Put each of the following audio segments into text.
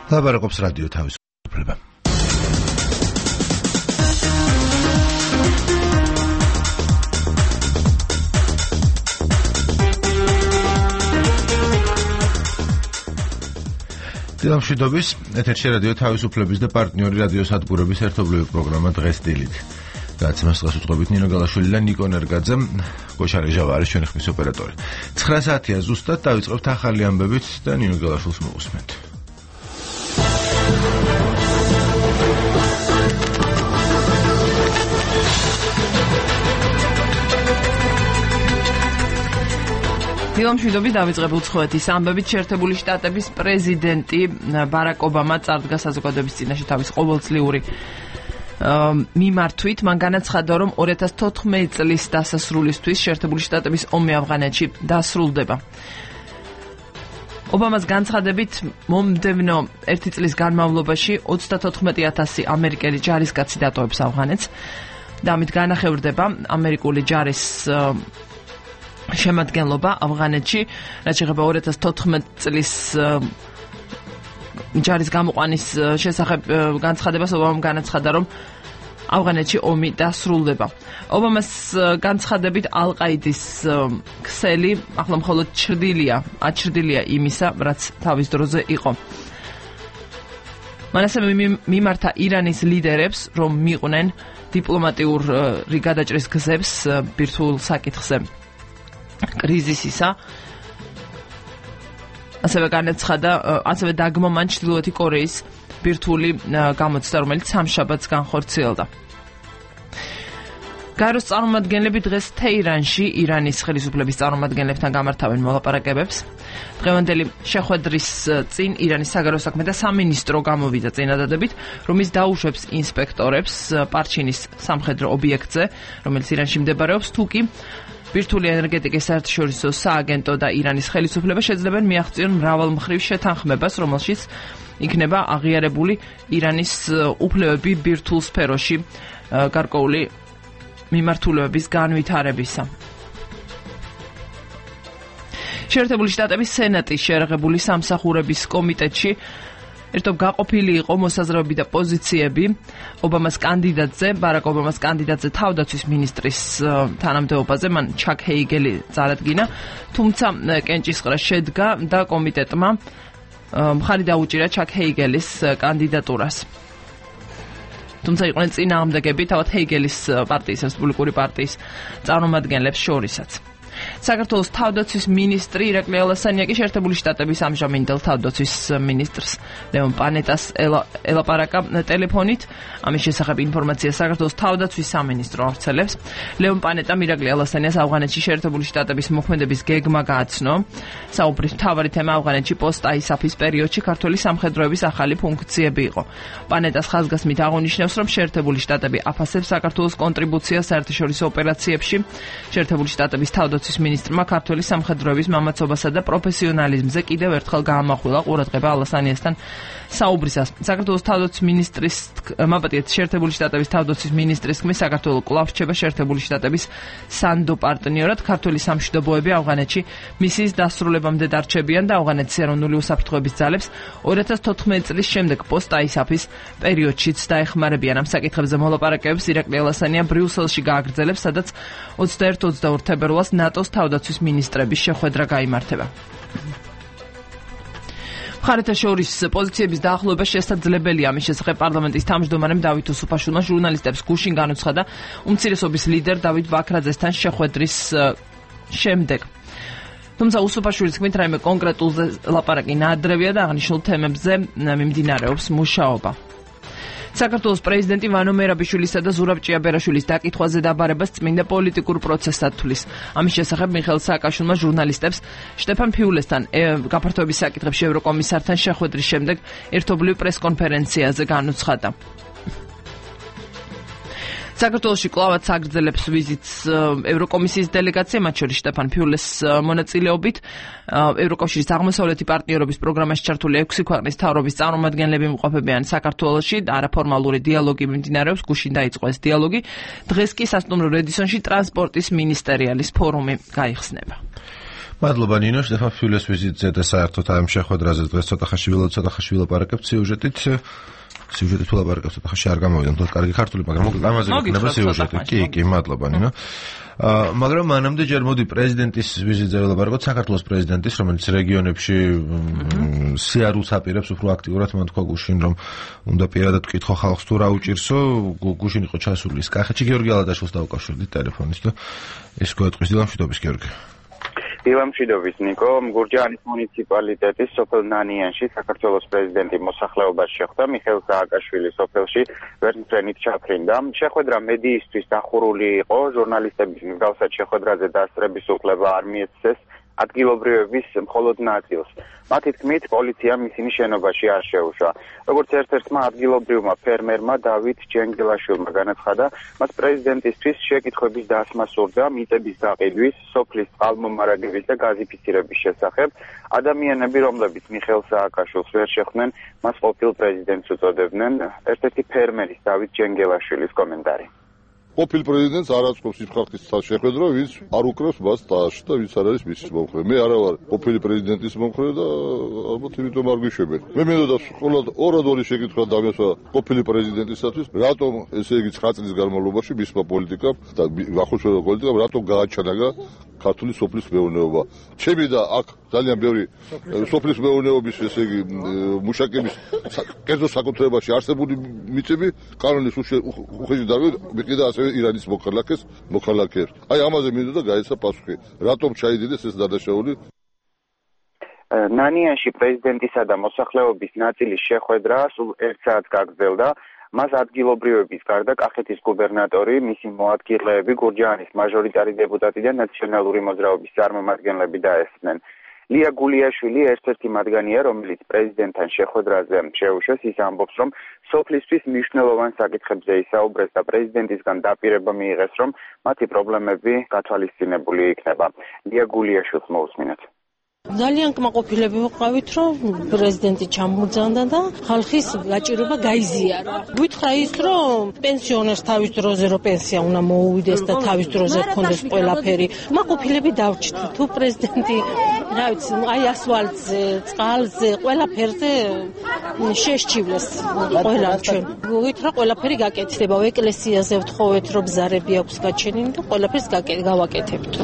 ლაპარაკობს რადიო თავისუფლება. დილამშვიდობის, ეთერში რადიო თავისუფლების და პარტნიორი რადიო სადგურების ერთობლივი პროგრამა დღეს დილით. გადაცემას დღეს უწყობით ნინო გალაშვილი და ნიკო ნერგაძე, გოშა რეჟავა არის ჩვენი ხმის ოპერატორი. 9 საათია ზუსტად დავიწყებთ ახალი ამბებით და ნინო გალაშვილს მოусმენთ. დილამშვიდობის დავიწყებ უცხოეთის ამბებით. შეერთებული შტატების პრეზიდენტი ბარაკ ობამა წარდგა საზოგადოების წინაშე თავის ყოველწლიური მიმართვით. მან განაცხადა, რომ 2014 წლის დასასრულისთვის შეერთებული შტატების ომი ავღანეთში დასრულდება. ობამას განცხადებით, მომდევნო 1 წლის განმავლობაში 34,000 ამერიკელი ჯარისკაცი დატოვებს ავღანეთს და ამით განახევრდება ამერიკული ჯარის შემადგენლობა ავღანეთში, რაც შეეხება 2014 წლის ჯარის გამოყვანის შესახებ განცხადებას. ობამამ განაცხადა, რომ ავღანეთში ომი დასრულდება. ობამას განცხადებით ალ-ყაიდის ქსელი ახლა მხოლოდ აჩრდილია იმისა, რაც თავის დროზე იყო. მან ასევე მიმართა ირანის ლიდერებს, რომ მიყვნენ დიპლომატიური გადაჭრის გზებს ბირთვულ საკითხზე კრიზისისა. ასევე დაგმო მან ჩრდილოეთი კორეის ბირთვული გამოცდა, რომელიც სამშაბათს განხორციელდა. გაეროს წარმომადგენლები დღეს თეირანში ირანის ხელისუფლების წარმომადგენლებთან გამართავენ მოლაპარაკებებს. დღევანდელი შეხვედრის წინ ირანის საგარეო საქმეთა სამინისტრო გამოვიდა წინადადებით, რომ ის დაუშვებს ინსპექტორებს პარჩინის სამხედრო ობიექტზე, რომელიც ირანში მდებარეობს, თუკი ბირთვული ენერგეტიკის საერთაშორისო სააგენტო და ირანის ხელისუფლება შეძლებენ მიაღწიონ მრავალმხრივ შეთანხმებას, რომელშიც იქნება აღიარებული ირანის უფლებები ბირთვულ სფეროში გარკვეული მიმართულებების განვითარებისა. შეერთებული შტატების სენატის შეერაღებული სამსახურების კომიტეტში ერთობ გაყოფილი იყო მოსაზრებები და პოზიციები ბარაკ ობამას კანდიდატზე თავდაცვის მინისტრის თანამდებობაზე. მან ჩაკ ჰეიგელი წარადგინა, თუმცა კენჭისყრა შედგა და კომიტეტმა მხარი დაუჭირა ჩაკ ჰეიგელის კანდიდატურას. თუმცა იყვნენ წინააღმდეგები თავად ჰეიგელის პარტიის, რესპუბლიკური პარტიის წარმომადგენლებს შორისაც. საქართველოს თავდაცვის მინისტრი ირაკლი ალასანია კი შეერთებული შტატების ამჟამინდელ თავდაცვის მინისტრს ლეონ პანეტას ელაპარაკა ტელეფონით. ამის შესახებ ინფორმაცია საქართველოს თავდაცვის სამინისტრო ავრცელებს. ლეონ პანეტამ ირაკლი ალასანიას ავღანეთში შეერთებული შტატების მოქმედების გეგმა გააცნო. საუბრის მთავარი თემა ავღანეთში პოსტ-აისაფის პერიოდში ქართველი სამხედროების ახალი ფუნქციები იყო. პანეტას ხაზგასმით აღნიშნავს, რომ შეერთებული შტატები აფასებს საქართველოს კონტრიბუციას საერთაშორისო ოპერაციებში. შეერთებული შტატების თავდაცვის მინისტრმა ქართველი სამხედროების მამაცობასა და პროფესიონალიზმზე კიდევ ერთხელ გაამახვილა ყურადღება ალასანიასთან საუბრისას. საქართველოს თავდაცვის მინისტრის შეერთებული შტატების თავდაცვის მინისტრის თქმით, საქართველო კვლავ რჩება შეერთებული შტატების სანდო პარტნიორად. ქართველი სამშვიდობოები ავღანეთში მისიის დასრულებამდე დარჩებიან და ავღანეთის ეროვნული უსაფრთხოების ძალებს 2014 წლის შემდეგ პოსტ-აისაფის პერიოდშიც დაეხმარებიან. ამ საკითხებზე მოლაპარაკებებს ირაკლი ალასანია ბრიუსელში გააგრძელებს, სადაც 21-22 თებერვალს ნატოს თავდაცვის მინისტრების შეხვედრა გაიმართება. მხარეთა შორის პოზიციების დაახლოება შესაძლებელია. ამის შესახებ პარლამენტის თავმჯდომარემ დავით უსუფაშვილმა ჟურნალისტებს გუშინ განუცხადა უმცირესობის ლიდერ დავით ბაქრაძესთან შეხვედრის შემდეგ. თუმცა უსუფაშვილის თქმით, რაიმე კონკრეტულზე ლაპარაკი ნაადრევია და აღნიშნულ თემებზე მიმდინარეობს მუშაობა. საქართველოს პრეზიდენტი ვანო მერაბიშვილისა და ზურაბ ჭიაბერაშვილის დაკითხვაზე დაბარებას წმინდა პოლიტიკურ პროცესად თვლის. ამის შესახებ მიხეილ სააკაშვილმა ჟურნალისტებს შტეფან ფიულესთან გაფართოების საკითხებში ევროკომისართან შეხვედრის შემდეგ ერთობლივ პრესკონფერენციაზე განუცხადა. საქართველოში კლავაც აგრძელებს ვიზიტს ევროკომისიის დელეგაცია, მათ შორის შტეფან ფიულეს მონაწილეობით. ევროკავშირის აღმოსავლეთი პარტნიორობის პროგრამაში ჩართული 6 ქვეყნის მთავრობის წარმომადგენლები იმყოფებიან საქართველოში. არაფორმალური დიალოგი მიმდინარეობს, გუშინ დაიწყო ეს დიალოგი. დღეს კი სასტუმრო რედისონში ტრანსპორტის მინისტერიალის ფორუმი გაიხსნება. მადლობა ნინო, შტეფან ფიულეს ვიზიტზე და საერთოდ ამ შეხვედრაზე დღეს ცოტა ხაში ვილაპარაკებთ სიუჟეტით. სიუჟეტით ვილაპარაკებთ, ცოტა ხაში არ გამოვიდა, თქო, კარგი ქართული, მაგრამ მოკლედ ამაზე იქნება სიუჟეტი. კი, მადლობა ნინო. მაგრამ მანამდე ჯერ მოდი პრეზიდენტის ვიზიტზე ვილაპარაკოთ, საქართველოს პრეზიდენტის, რომელიც რეგიონებში სიარულს აპირებს უფრო აქტიურად, მან თქვა გუშინ, რომ უნდა პირადად ვკითხო ხალხს თუ რა უჭირსო, გუშინ იყო ჩასული ის კახეთში, გიორგი ალადაშვილს დავუკავშირდით ტელეფონით და ის გვეტყვის დილამშვიდობის გიორგი. დილამშვიდობის ნიკო, გურჯაანის მუნიციპალიტეტის სოფელ ნანიანში საქართველოს პრეზიდენტი მოსახლეობაში შეხვდა, მიხეილ სააკაშვილი სოფელში ვერტმფრენით ჩაფრინდა. შეხვედრა მედიისთვის დახურული იყო, ჟურნალისტების მსგავსად შეხვედრაზე დასწრების უფლება არ მიეცეს ადგილობრივების მხოლოდ ნაწილს. მათი თქმით, პოლიციამ ისინი შენობაში არ შეუშვა. როგორც ერთ-ერთმა ადგილობრივმა ფერმერმა დავით ჯენგელაშვილმა განაცხადა, მას პრეზიდენტისთვის შეკითხვების დასმა სურდა მიწების გაყიდვის, სოფლის წყალმომარაგების და გაზიფიცირების შესახებ. ადამიანები, რომლებიც მიხეილ სააკაშვილს ვერ შეხვდნენ, მას ყოფილ პრეზიდენტს უწოდებდნენ. ერთ-ერთი ფერმერის დავით ჯენგელაშვილის კომენტარი. ყოფილ პრეზიდენტს არ აწყობს ის ხალხის შეხვედრა, ვინც არ უკრავს მას ტაჟში და ვინც არ არის მის მომხრე. მე არა ვარ ყოფილი პრეზიდენტის მომხრე და ალბათ იმიტომ არ გვიშვებენ. მე მინდოდა მხოლოდ ორი შეკითხვა დამესვა ყოფილი პრეზიდენტისათვის, რატომ ესე იგი 9 წლის განმავლობაში მისმა პოლიტიკამ და ახალშობილ პოლიტიკამ რატომ გააჩანაგა ქართული სოფლის მეურნეობა. ჩემი და აქ ძალიან ბევრი სოფლის მეურნეობის ესე იგი მუშაკების კერძო საკუთრებაში არსებული მიწები კანონის უხეში დამიყიდა ასევე ირანის მოქალაქეებს. აი ამაზე მინდოდა გაეცა პასუხი. რატომ ჩაიდიდეს ეს დადაშაული? ნანიანში პრეზიდენტისა და მოსახლეობის ნაწილის შეხვედრა სულ 1 საათს გაგრძელდა. მას ადგილობრივების გარდა კახეთის გუბერნატორი, მისი მოადგილეები, გურჯაანის მაჟორიტარი დეპუტატი და ნაციონალური მოძრაობის წარმომადგენლები დაესწრნენ. ლია გულიაშვილი ერთ-ერთი მათგანია, რომელიც პრეზიდენტთან შეხვედრაზე შეუშვეს, ის ამბობს, რომ სოფლისთვის მნიშვნელოვან საკითხებზე ისაუბრეს და პრეზიდენტისგან დაპირება მიიღეს, რომ მათი პრობლემები გათვალისწინებული იქნება. ლია გულიაშვილს მოусმინოთ. ძალიან კმაყოფილები ვიყავით, რომ პრეზიდენტი ჩამბრძანდა და ხალხის გაჭირვება გაიზიარა. გითხრა ის, რომ პენსიონერს თავის დროზე რო პენსია უნდა მოუვიდეს და თავის დროზე ჰქონდეს ყველაფერი. კმაყოფილები დავჭით, თუ პრეზიდენტი, რა ვიცი, აი ასფალტზე, წყალზე, ყველაფერზე შეშჩივლეს ყველა ჩვენ. გითხრა ყველაფერი გაკეთდება, ეკლესიაზე ვთხოვეთ, რომ ბზარები აქვს გაჩენილი და ყველაფერს გავაკეთებთ.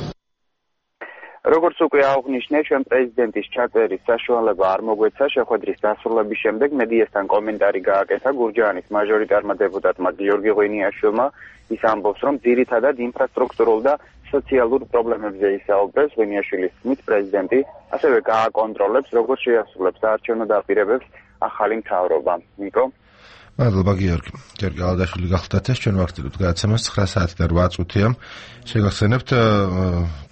როგორც უკვე აღნიშნე, ჩვენ პრეზიდენტის ჩაწერის საშუალება არ მოგვეცა. შეხვედრის დასრულების შემდეგ მედიასთან კომენტარი გააკეთა გურჯაანის მაჟორიტარმა დეპუტატმა გიორგი ღვინიაშვილმა. ის ამბობს, რომ ძირითადად ინფრასტრუქტურულ და სოციალურ პრობლემებზე ისაუბრეს. ღვინიაშვილის თქმით, პრეზიდენტი ასევე გააკონტროლებს, როგორც შეასრულებს საარჩევნო დაპირებებს ახალი მთავრობა. ნიკო. მადლობა გიორგი. გიორგი ალადაშვილი გახლდათ ეს ჩვენ ვახტილობთ გადაცემას 9 საათი და 8 წუთია. შეგახსენებთ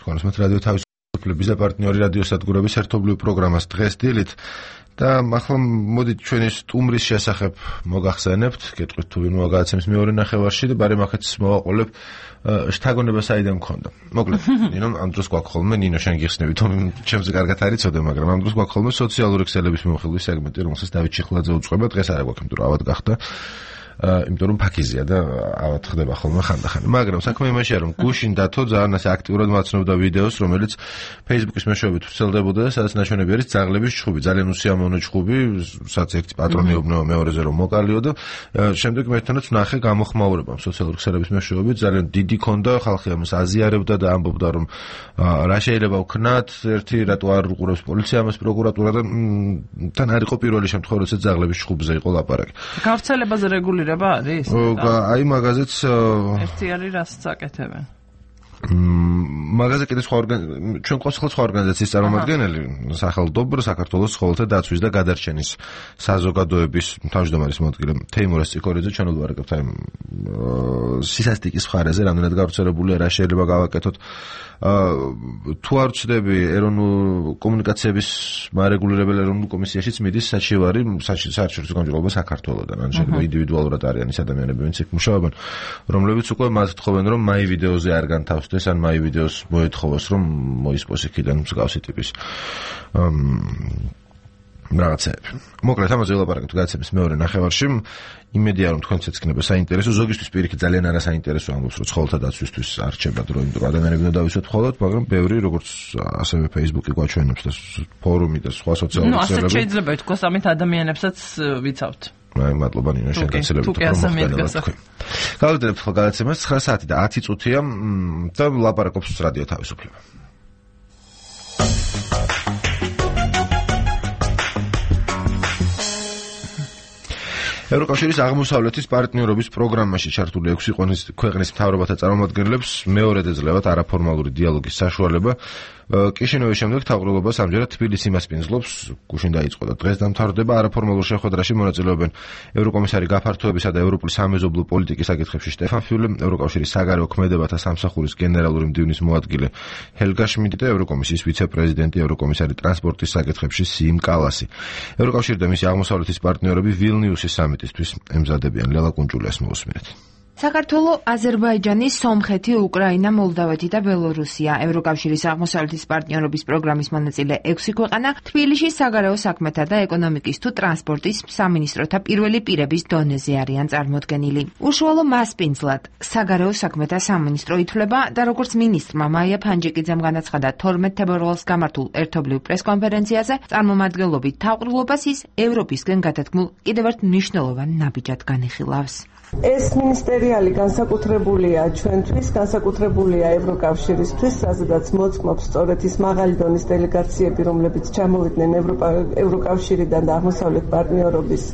თქვენს რადიო თავისუფლების და პარტნიორი რადიოსადგურების ერთობლივ პროგრამას დღეს დილით და ახლა მოდით ჩვენი სტუმრის შესახებ მოგახსენებთ, გეტყვით თუ ვინ მოგაცემს მეორე ნახევარში და ბარემ ახაც მოვაყოლებ შთაგონება საიდან მქონდა. მოკლედ, ნინო, ამ დროს გვაქვს ხოლმე, ნინო შენ გიხსნები, თუ ჩემზე კარგად არ იცოდე, მაგრამ ამ დროს გვაქვს ხოლმე სოციალური ქსელების მიმოხილვის სეგმენტი, რომელსაც დავით ჩიხლაძე უწყება, დღეს არ გვაქვს, იმიტომ რომ ავად გახდა. იმიტომ რომ ფაქიზია და ავად ხდება ხოლმე ხანდახან. მაგრამ საქმე იმაშია, რომ გუშინ დათო ძალიან ასე აქტიურად მაცნობდა ვიდეოს, რომელიც Facebook-ის მეშვეობით ვრცელდებოდა და სადაც ნაჩვენები არის ძაღლების ჩხუბი, ძალიან უსიამოვნო ჩხუბი, სადაც ერთი პატრონი უბნება მეორეზე რომ მოკალიო და შემდეგ მე თანაც ვნახე გამოხმაურება სოციალური ქსელების მეშვეობით, ძალიან დიდი ქონდა, ხალხი ამას აზიარებდა და ამბობდა, რომ რა შეიძლება ვქნათ, ერთი რატო არ უყურებს პოლიცია ამას, პროკურატურა და თან არ იყო პირველი შემთხვევა, როცა ძაღლების ჩხუბზე იყო ლაპარაკი. გავრცელებაზე რეგულირება არის? აი მაგაზეც ერთი არის რასაც აკეთებენ. მაგაზე კიდე სხვა ჩვენ სხვა ორგანიზაციის წარმომადგენელი, სახელმწიფო საქართველოს ცხოველთა დაცვის და გადარჩენის საზოგადოების თავმჯდომარის მოადგილე თეიმურაზ ციკორიძე ჩვენ ვლაპარაკებთ აი სისასტიკის მხარეზე, რამდენად გავრცელებულია, რა შეიძლება გავაკეთოთ. თუ არ ვწდები ეროვნულ კომუნიკაციების მარეგულირებელ ეროვნულ კომისიაშიც მიდის საჩივარი საარჩევნო გამარჯვება საქართველოსთან. ან შეიძლება ინდივიდუალურად არიან ის ადამიანები, ვინც იქ მუშაობენ, რომლებიც უკვე მას თხოვენ, რომ მაი ვიდეოზე არ განთავსდეს, ან მაი ვიდეოს მოეთხოვოს, რომ მოისპოს იქიდან მსგავსი ტიპის რაღაცეები. მოკლედ ამაზე ველაპარაკებთ გადაცემის მეორე ნახევარში. იმედია რომ თქვენც ეცქნება საინტერესო, ზოგისთვის პირიქით ძალიან არასაინტერესო ამბობს, რომ ცხოველთა დაცვისთვის არ რჩება დრო, იმიტომ რომ ადამიანები უნდა დავიცვათ მხოლოდ, მაგრამ ბევრი როგორც ასევე Facebook-ი გვაჩვენებს და ფორუმი და სხვა სოციალური ქსელები. ასე შეიძლება ითქვას, ამით ადამიანებსაც ვიცავთ. მადლობა ნინო, შენ გაცილებით პრომოხდანად. გავაგრძელებთ ხოლ გადაცემას 9 საათი და 10 წუთია და ლაპარაკობს რადიო თავისუფლება. ევროკავშირის აღმოსავლეთის პარტნიორობის პროგრამაში ჩართული 6 ქვეყნის მთავრობათა წარმომადგენლებს მეორედ ეძლევათ არაფორმალური დიალოგის საშუალება. კიშინოვის შემდეგ თავყრილობას ამჯერად თბილისი მასპინძლობს, გუშინ დაიწყო და დღეს დამთავრდება. არაფორმალურ შეხვედრაში მონაწილეობენ ევროკომისარი გაფართოებისა და ევროპული სამეზობლო პოლიტიკის საკითხებში შტეფან ფიულე, ევროკავშირის საგარეო ქმედებათა სამსახურის გენერალური მდივნის მოადგილე ჰელგა შმიდტი და ევროკომისიის ვიცე-პრეზიდენტი, ევროკომისარი ტრანსპორტის საკითხებში სიიმ კალასი. ევროკავშირი და მისი აღმოსავლეთის პარტნიორები ვილნიუსის სამიტისთვის ემზადებიან. ლელა კუნჭულიას მოусმინეთ. საქართველო, აზერბაიჯანი, სომხეთი, უკრაინა, მოლდავეთი და ბელორუსია ევროკავშირის აღმოსავლეთის პარტნიორობის პროგრამის მონაწილე 6 ქვეყანა თბილისში საგარეო საქმეთა და ეკონომიკის თუ ტრანსპორტის სამინისტროთა პირველი პირების დონეზე არიან წარმოდგენილი. უშუალო მასპინძლად საგარეო საქმეთა სამინისტრო ითვლება და როგორც მინისტრმა მაია ფანჯიკიძემ განაცხადა 12 თებერვალს გამართულ ერთობლივ პრესკონფერენციაზე, წარმომადგენლობით თავყრილობას ის ევროპისგან გადადგმულ კიდევ ერთ მნიშვნელოვან ნაბიჯად განიხილავს. ეს მინისტერიალი განსაკუთრებულია ჩვენთვის, განსაკუთრებულია ევროკავშირისთვის, სადაც მოწმობს სწორედ ის მაღალი დონის დელეგაციები, რომლებიც ჩამოვიდნენ ევროკავშირიდან და აღმოსავლეთ პარტნიორობის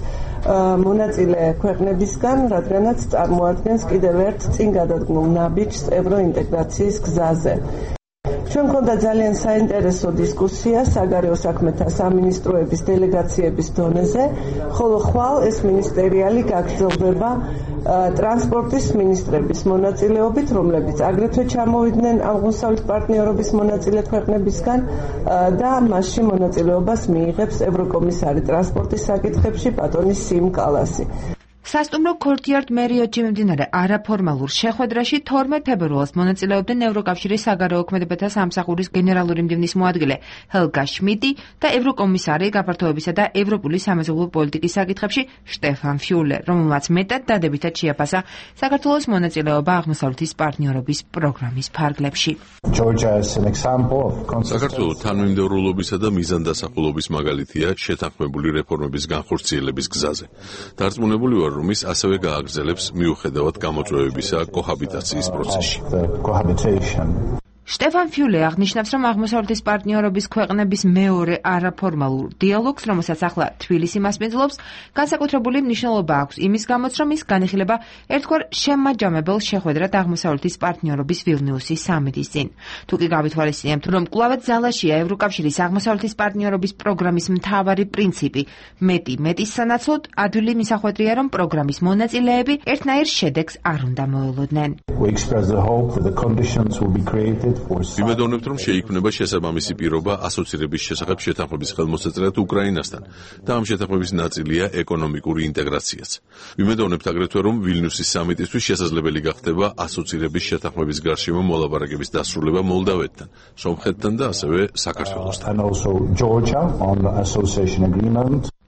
მონაწილე ქვეყნებისგან, რადგანაც წარმოადგენს კიდევ ერთ წინ გადადგმულ ნაბიჯს ევროინტეგრაციის გზაზე. ჩვენ მქონდა ძალიან საინტერესო დისკუსია საგარეო საქმეთა სამინისტროების დელეგაციების დონეზე, ხოლო ხვალ ეს მინისტერიალი გაგრძელდება ტრანსპორტის მინისტრების მონაწილეობით, რომლებიც აგრეთვე ჩამოვიდნენ აღმოსავლეთ პარტნიორობის მონაწილე ქვეყნებისგან და მასში მონაწილეობას მიიღებს ევროკომისარი ტრანსპორტის საკითხებში ბატონი სიიმ კალასი. სასტუმრო ქორტიარდ მერიოტში მიმდინარე არაფორმალურ შეხვედრაში 12 თებერვალს მონაწილეობდნენ ევროკავშირის საგარეო ქმედებათა სამსახურის გენერალური მდივნის მოადგილე ჰელგა შმიდტი და ევროკომისარი გაფართოებისა და ევროპული სამეზობლო პოლიტიკის საკითხებში შტეფან ფიულე, რომელმაც მეტად დადებითად შეაფასა საქართველოს მონაწილეობა აღმოსავლეთის პარტნიორობის პროგრამის ფარგლებში. საქართველოს თანმიმდევრულობისა და მიზანდასახულობის მაგალითია შეთანხმებული რეფორმების განხორციელების გზაზე. დარწმუნებული ვარ, რომ ის ასევე გააგრძელებს მიუხედავად გამოწვევებისა კოჰაბიტაციის პროცესში. შტეფან ფიულე აღნიშნავს, რომ აღმოსავლეთის პარტნიორობის ქვეყნების მეორე არაფორმალურ დიალოგს, რომელსაც ახლა თბილისი მასპინძლობს, განსაკუთრებული მნიშვნელობა აქვს იმის გამოც, რომ ის განიხილება ერთგვარ შემაჯამებელ შეხვედრად აღმოსავლეთის პარტნიორობის ვილნიუსის სამიტის წინ. თუ კი გავითვალისწინებთ, რომ კვლავაც ძალაშია ევროკავშირის აღმოსავლეთის პარტნიორობის პროგრამის მთავარი პრინციპი, მეტის სანაცვლოდ, ადვილი მისახვედრია, რომ პროგრამის მონაწილეები ერთნაირ შედეგს არ უნდა მოელოდნენ. ვიმედოვნებთ, რომ შეიქმნება შესაბამისი პირობა ასოცირების შესახებ შეთანხმების ხელმოსაწერად უკრაინასთან და ამ შეთანხმების ნაწილია ეკონომიკური ინტეგრაციაც. ვიმედოვნებთ აგრეთვე, რომ ვილნიუსის სამიტისთვის შესაძლებელი გახდება ასოცირების შეთანხმების გარშემო მოლაპარაკების დასრულება მოლდავეთთან, სომხეთთან და ასევე საქართველოსთან.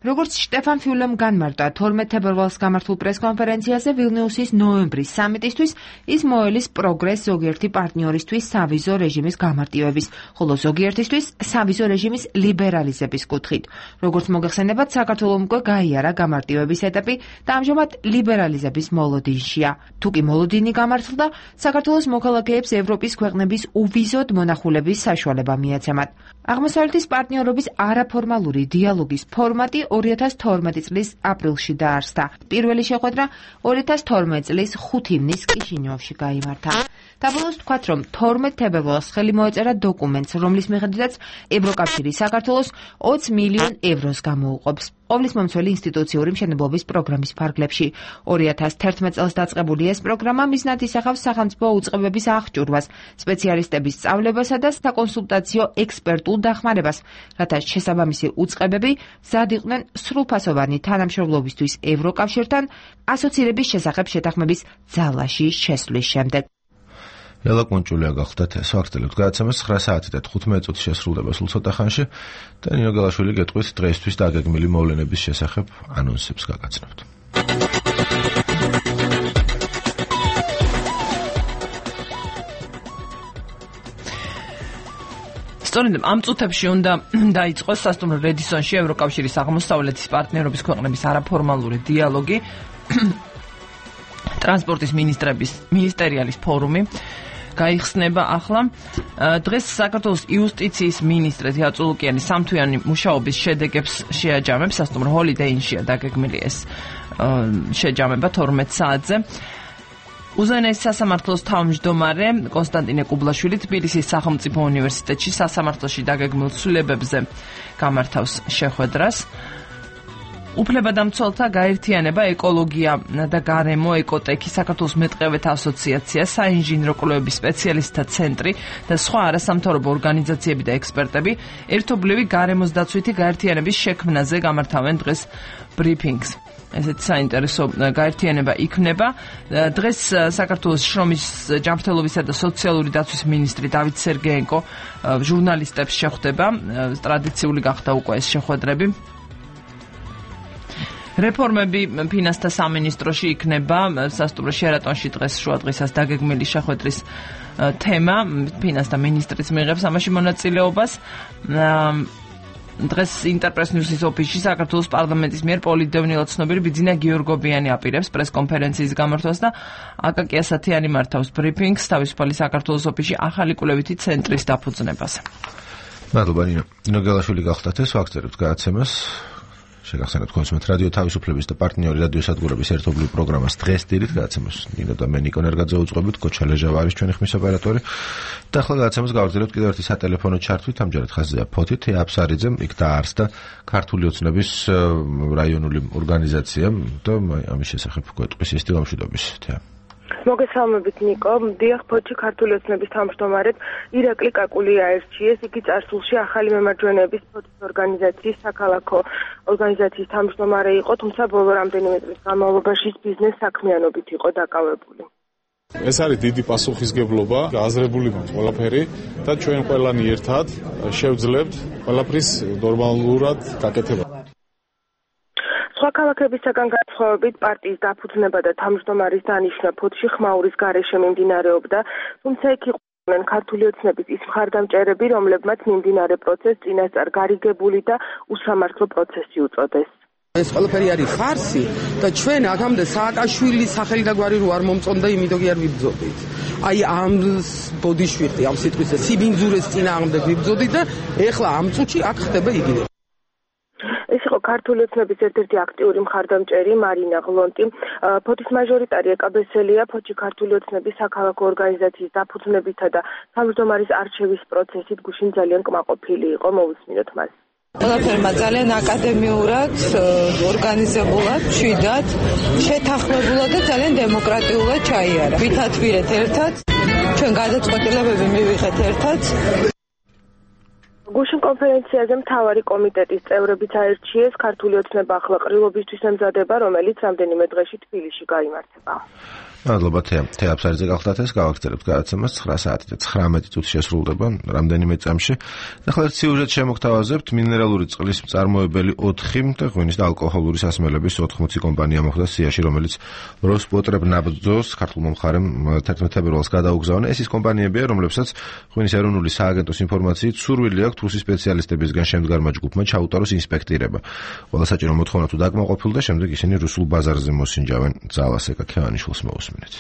როგორც შტეფან ფიულემ განმარტა 12 თებერვალს გამართულ პრესკონფერენციაზე, ვილნიუსის ნოემბრის სამიტისთვის ის მოელის პროგრესს ზოგიერთი პარტნიორისთვის სავიზო რეჟიმის გამარტივების, ხოლო ზოგიერთისთვის სავიზო რეჟიმის ლიბერალიზების კუთხით. როგორც მოგეხსენებათ, საქართველომ უკვე გაიარა გამარტივების ეტაპი და ამჟამად ლიბერალიზების მოლოდინშია. თუ კი მოლოდინი გამართლდა, საქართველოს მოქალაქეებს ევროპის ქვეყნების უვიზოდ მონახულების საშუალება მიეცემათ. აღმოსავლეთის პარტნიორობის არაფორმალური დიალოგის ფორმატი 2012 წლის აპრილში დაარსდა. პირველი შეხვედრა 2012 წლის 5 ივნის კიშინიოვში გაიმართა. დაბოლოს ვთქვათ, რომ 12 თებერვალს ხელი მოეწერა დოკუმენტს, რომლის მიხედვითაც ევროკავშირი საქართველოს 20 მილიონ ევროს გამოუყოფს ყოვლისმომცველი ინსტიტუციური მშენებლობის პროგრამის ფარგლებში. 2011 წელს დაწყებული ეს პროგრამა მიზნად ისახავს სახელმწიფო უწყებების აღჭურვას, სპეციალისტების სწავლებასა და საკონსულტაციო ექსპერტულ დახმარებას, რათა შესაბამისი უწყებები მზად იყვნენ სრულფასოვანი თანამშრომლობისთვის ევროკავშირთან ასოცირების შესახებ შეთანხმების ძალაში შესვლის შემდეგ. ლელა კონჭულია გახლდათ ეს ვახტელებთ გადაცემას 9 საათი და 15 წუთი შესრულდება სულ ცოტა ხანში და ნინო გალაშვილი გეტყვით დღეისთვის დაგეგმილი მოვლენების შესახებ ანონსებს გაგაცნობთ. სწორედ ამ წუთებში უნდა დაიწყოს სასტუმრო რედისონში ევროკავშირის აღმოსავლეთის პარტნიორობის ქვეყნების არაფორმალური დიალოგი, ტრანსპორტის მინისტერიალის ფორუმი გაიხსნება ახლა. დღეს საქართველოს იუსტიციის მინისტრი თეა წულუკიანი სამთვიანი მუშაობის შედეგებს შეაჯამებს. სასტუმრო ჰოლიდეინშია დაგეგმილი ეს შეჯამება 12 საათზე. უზენაეს სასამართლოს თავმჯდომარე კონსტანტინე კუბლაშვილი თბილისის სახელმწიფო უნივერსიტეტში სასამართლოში დაგეგმილ ცვლილებებზე გამართავს შეხვედრას. უფლებადამცველთა გაერთიანება, ეკოლოგია და გარემო, ეკოტექი, საქართველოს მეტყევეთა ასოციაცია, საინჟინრო კვლევების სპეციალისტთა ცენტრი და სხვა არასამთავრობო ორგანიზაციები და ექსპერტები ერთობლივი გარემოს დაცვითი გაერთიანების შექმნაზე გამართავენ დღეს ბრიფინგს. ესეთი საინტერესო გაერთიანება იქნება. დღეს საქართველოს შრომის ჯანმრთელობისა და სოციალური დაცვის მინისტრი დავით სერგეენკო ჟურნალისტებს შეხვდება. ტრადიციული გახდა უკვე ეს შეხვედრები. რეფორმები ფინანსთა სამინისტროში იქნება სასტუმრო შერატონში დღეს შუადღისას დაგეგმილი შეხვედრის თემა. ფინანსთა მინისტრის მიიღებს ამაში მონაწილეობას. დღეს ინტერპრეს ნიუსის ოფისში საქართველოს პარლამენტის მიერ პოლიტდევნილად ცნობილი ბიძინა გიორგობიანი აპირებს პრესკონფერენციის გამართვას და აკაკი ასათიანი მართავს ბრიფინგს თავისუფალი საქართველოს ოფისში ახალი კვლევითი ცენტრის დაფუძნებაზე. მადლობა ნინო გელაშვილი გახლდათ ეს ვაგზავნებთ გადაცემას. შეგახსენებთ კონსუმენტ რადიო თავისუფლების და პარტნიორი რადიოსადგურების ერთობლივ პროგრამას დღეს დილით გადაცემას ნინო და მე ნიკო ნერგაძე უწყობთ, კოჩა ლეჟავა არის ჩვენი ხმის ოპერატორი და ახლა გადაცემას გავაგრძელებთ კიდევ ერთი სატელეფონო ჩართვით. ამჯერად ხაზია ფოთით აფსარიძემ იქ დაარსდა ქართული ოცნების რაიონული ორგანიზაცია და ამის შესახებ გვეტყვის ის დილამშვიდობის თეა. მოგესალმებით ნიკო. დიახ, ფოთში ქართული ოცნების თავმჯდომარედ ირაკლი კაკული აერჩიეს. იგი წარსულში ახალი მემარჯვენეების ფოთის ორგანიზაციის საქალაქო ორგანიზაციის თავმჯდომარე იყო, თუმცა ბოლო რამდენიმე წლის განმავლობაში ბიზნეს საქმიანობით იყო დაკავებული. ეს არის დიდი პასუხისგებლობა, გააზრებული ყველაფერი და ჩვენ ყველანი ერთად შევძლებთ ყველაფრის ნორმალურად გაკეთება. სხვა ქალაქებისაგან განსხვავებით პარტიის დაფუძნება და თავმჯდომარის დანიშვნა ფოთში ხმაურის გარეშე მიმდინარეობდა, თუმცა იქ იყვნენ ქართული ოცნების ის მხარდამჭერები, რომლებმაც მიმდინარე პროცესს წინასწარ გარიგებული და უსამართლო პროცესი უწოდეს. ეს ყველაფერი არის ხარსი და ჩვენ აქამდე სააკაშვილის სახელი და გვარი რო არ მომწონდა, იმიტომ კი არ ვიბრძოდით. აი ამ ბოდიშვიხტი, ამ სიტყვის სიბინძურეს წინააღმდეგ ვიბრძოდით და ეხლა ამ წუთში აქ ხდება იგივე. ეს იყო ქართული ოცნების ერთ-ერთი აქტიური მხარდამჭერი მარინა ღლონტი. ფოთის მაჟორიტარი ეკაბესელია ფოთში ქართული ოცნების საქალაქო ორგანიზაციის დაფუძნებითა და თავმჯდომარის არჩევის პროცესით გუშინ ძალიან კმაყოფილი იყო. მოვუსმინოთ მას. ყველაფერმა ძალიან აკადემიურად, ორგანიზებულად, მშვიდად, შეთანხმებულად და ძალიან დემოკრატიულად ჩაიარა. ვითათბირეთ ერთად, ჩვენ გადაწყვეტილებები მივიღეთ ერთად. გუშინ კონფერენციაზე მთავარი კომიტეტის წევრებიც აერჩიეს. ქართული ოცნება ახლა ყრილობისთვის ემზადება, რომელიც რამდენიმე დღეში თბილისში გაიმართება. მადლობა თეა აფსარიძე გახლდათ ეს გავაგრძელებთ გადაცემას 9 საათი და 19 წუთი შესრულდება რამდენიმე წამში. ახლა სიუჟეტ შემოგთავაზებთ. მინერალური წყლის მწარმოებელი 4 და ღვინის და ალკოჰოლური სასმელების 80 კომპანია მოხვდა სიაში, რომელიც როსპოტრებნაბძოს ქართულმა მხარემ 11 ფებრუარს გადაუგზავნა. ეს ის კომპანიებია, რომლებსაც ღვინის ეროვნული სააგენტოს ინფორმაციით სურვილი აქვთ რუსის სპეციალისტებისგან შემდგარმა ჯგუფმა ჩაუტაროს ინსპექტირება. ყველა საჭირო მოთხოვნა თუ დაკმაყოფილდა, შემდეგ ისინი რუსულ ბაზარზე მოსინჯავენ ძალას. ეკაქიანიშვილს მოუსმინეთ.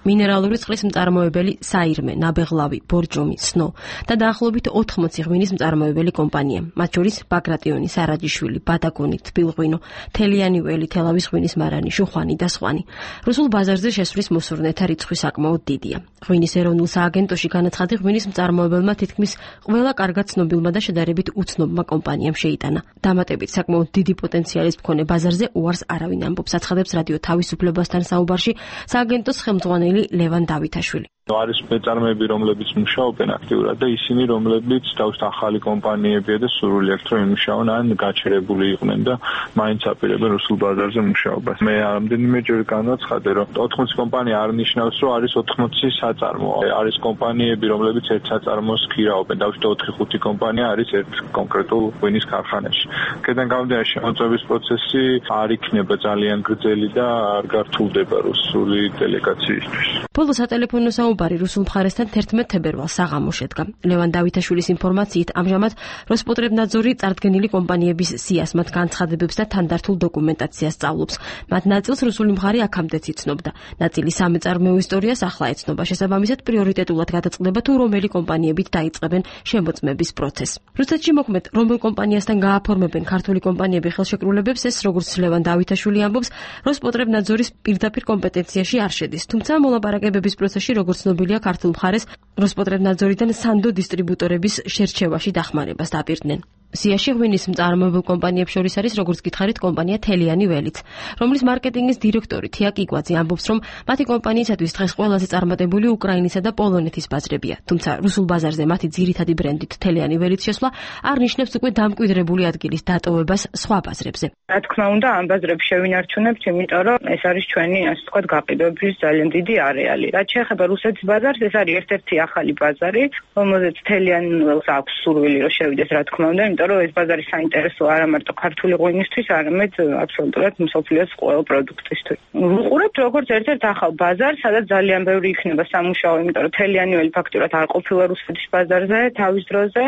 მინერალური წყლის მწარმოებელი საირმე, ნაბეღლავი, ბორჯომი, სნო და დაახლოებით 80 ღვინის მწარმოებელი კომპანია, მათ შორის ბაგრატიონი, სარაჯიშვილი, ბადაგონი, თბილღვინო, თელიანი ველი, თელავის ღვინის მარანი, შუხვანი და სხვანი. რუსულ ბაზარზე შესვლის მოსურნეთა რიცხვი საკმაოდ დიდია. ღვინის ეროვნულ სააგენტოში განაცხადი ღვინის მწარმოებელმა თითქმის ყველა კარგად ცნობილმა და შედარებით უცნობმა კომპანიამ შეიტანა. დამატებით საკმაოდ დიდი პოტენციალის მქონე ბაზარზე უარს არავინ ამბობს, აცხადებს რადიო თავისუფლებასთან საუბარში სააგენტოს ხელმძღვანელი ლევან დავითაშვილი. არის მეწარმეები, რომლებიც მუშაობენ აქტიურად და ისინი, რომლებიც თავის ახალი კომპანიებია და სურვილი აქვთ, რომ იმუშაონ ან გაჩერებული იყვნენ და მაინც აპირებენ რუსულ ბაზარზე მუშაობას. მე რამდენიმეჯერ განაცხადე, რომ 80 კომპანია არ ნიშნავს, რომ არის 80 საწარმო. არის კომპანიები, რომლებიც ერთ საწარმოს ქირაობენ. დავუშვათ 4-5 კომპანია არის ერთ კონკრეტულ ღვინის ქარხანაში. აქედან გამომდინარე, შემოწმების პროცესი არ იქნება ძალიან გრძელი და არ გართულდება რუსული დელეგაციისთვის. ბოლო სატელეფონო საუბარი რუსულ მხარესთან 11 თებერვალს საღამოს შედგა. ლევან დავითაშვილის ინფორმაციით, ამჟამად როსპოტრებნაძორი წარდგენილი კომპანიების სიას, მათ განცხადებებს და თანდართულ დოკუმენტაციას სწავლობს. მათ ნაწილს რუსული მხარე აქამდეც იცნობდა. ნაწილი სამეწარმეო ისტორიას ახლა ეცნობა. შესაბამისად, პრიორიტეტულად გადაწყდება თუ რომელი კომპანიებით დაიწყებენ შემოწმების პროცესს. რუსეთში მოქმედ რომელ კომპანიასთან გააფორმებენ ქართული კომპანიები ხელშეკრულებებს, ეს როგორც ლევან დავითაშვილი ამბობს, როსპოტრებნაძორის პირდაპირ კომპეტენციაში არ შედის. თუმცა მოლაპარაკებების პროცესში, როგორც ცნობილია, ქართულ მხარეს როსპოტრებნაძორიდან სანდო დისტრიბუტორების შერჩევაში დახმარებას დაპირდნენ. სიაში ღვინის მწარმოებელ კომპანიებს შორის არის, როგორც გითხარით, კომპანია თელიანი ველიც, რომლის მარკეტინგის დირექტორი თია კიკვაძე ამბობს, რომ მათი კომპანიისათვის დღეს ყველაზე წარმატებული უკრაინისა და პოლონეთის ბაზრებია. თუმცა რუსულ ბაზარზე მათი ძირითადი ბრენდით თელიანი ველიც შესვლა არ ნიშნავს უკვე დამკვიდრებული ადგილის დატოვებას სხვა ბაზრებზე. რა თქმა უნდა, ამ ბაზრებს შევინარჩუნებთ, იმიტომ რომ ეს არის ჩვენი, ასე ვთქვათ, გაყიდვების ძალიან დიდი არეალი. რაც შეეხება რუსეთის ბაზარს, ეს არის ერთ-ერთი ახალი ბაზარი, რომელზეც თელიანი ველს აქვს სურვილი, რომ შევიდეს, რა თქმა უნდა, იმიტომ რომ ეს ბაზარი საინტერესო არა მარტო ქართული ღვინისთვის, არამედ აბსოლუტურად მსოფლიოს ყველა პროდუქტისთვის. ვუყურებთ როგორც ერთ-ერთ ახალ ბაზარს, სადაც ძალიან ბევრი იქნება სამუშაო, იმიტომ რომ თელიანი ველი ფაქტურად არ ყოფილა რუსეთის ბაზარზე თავის დროზე.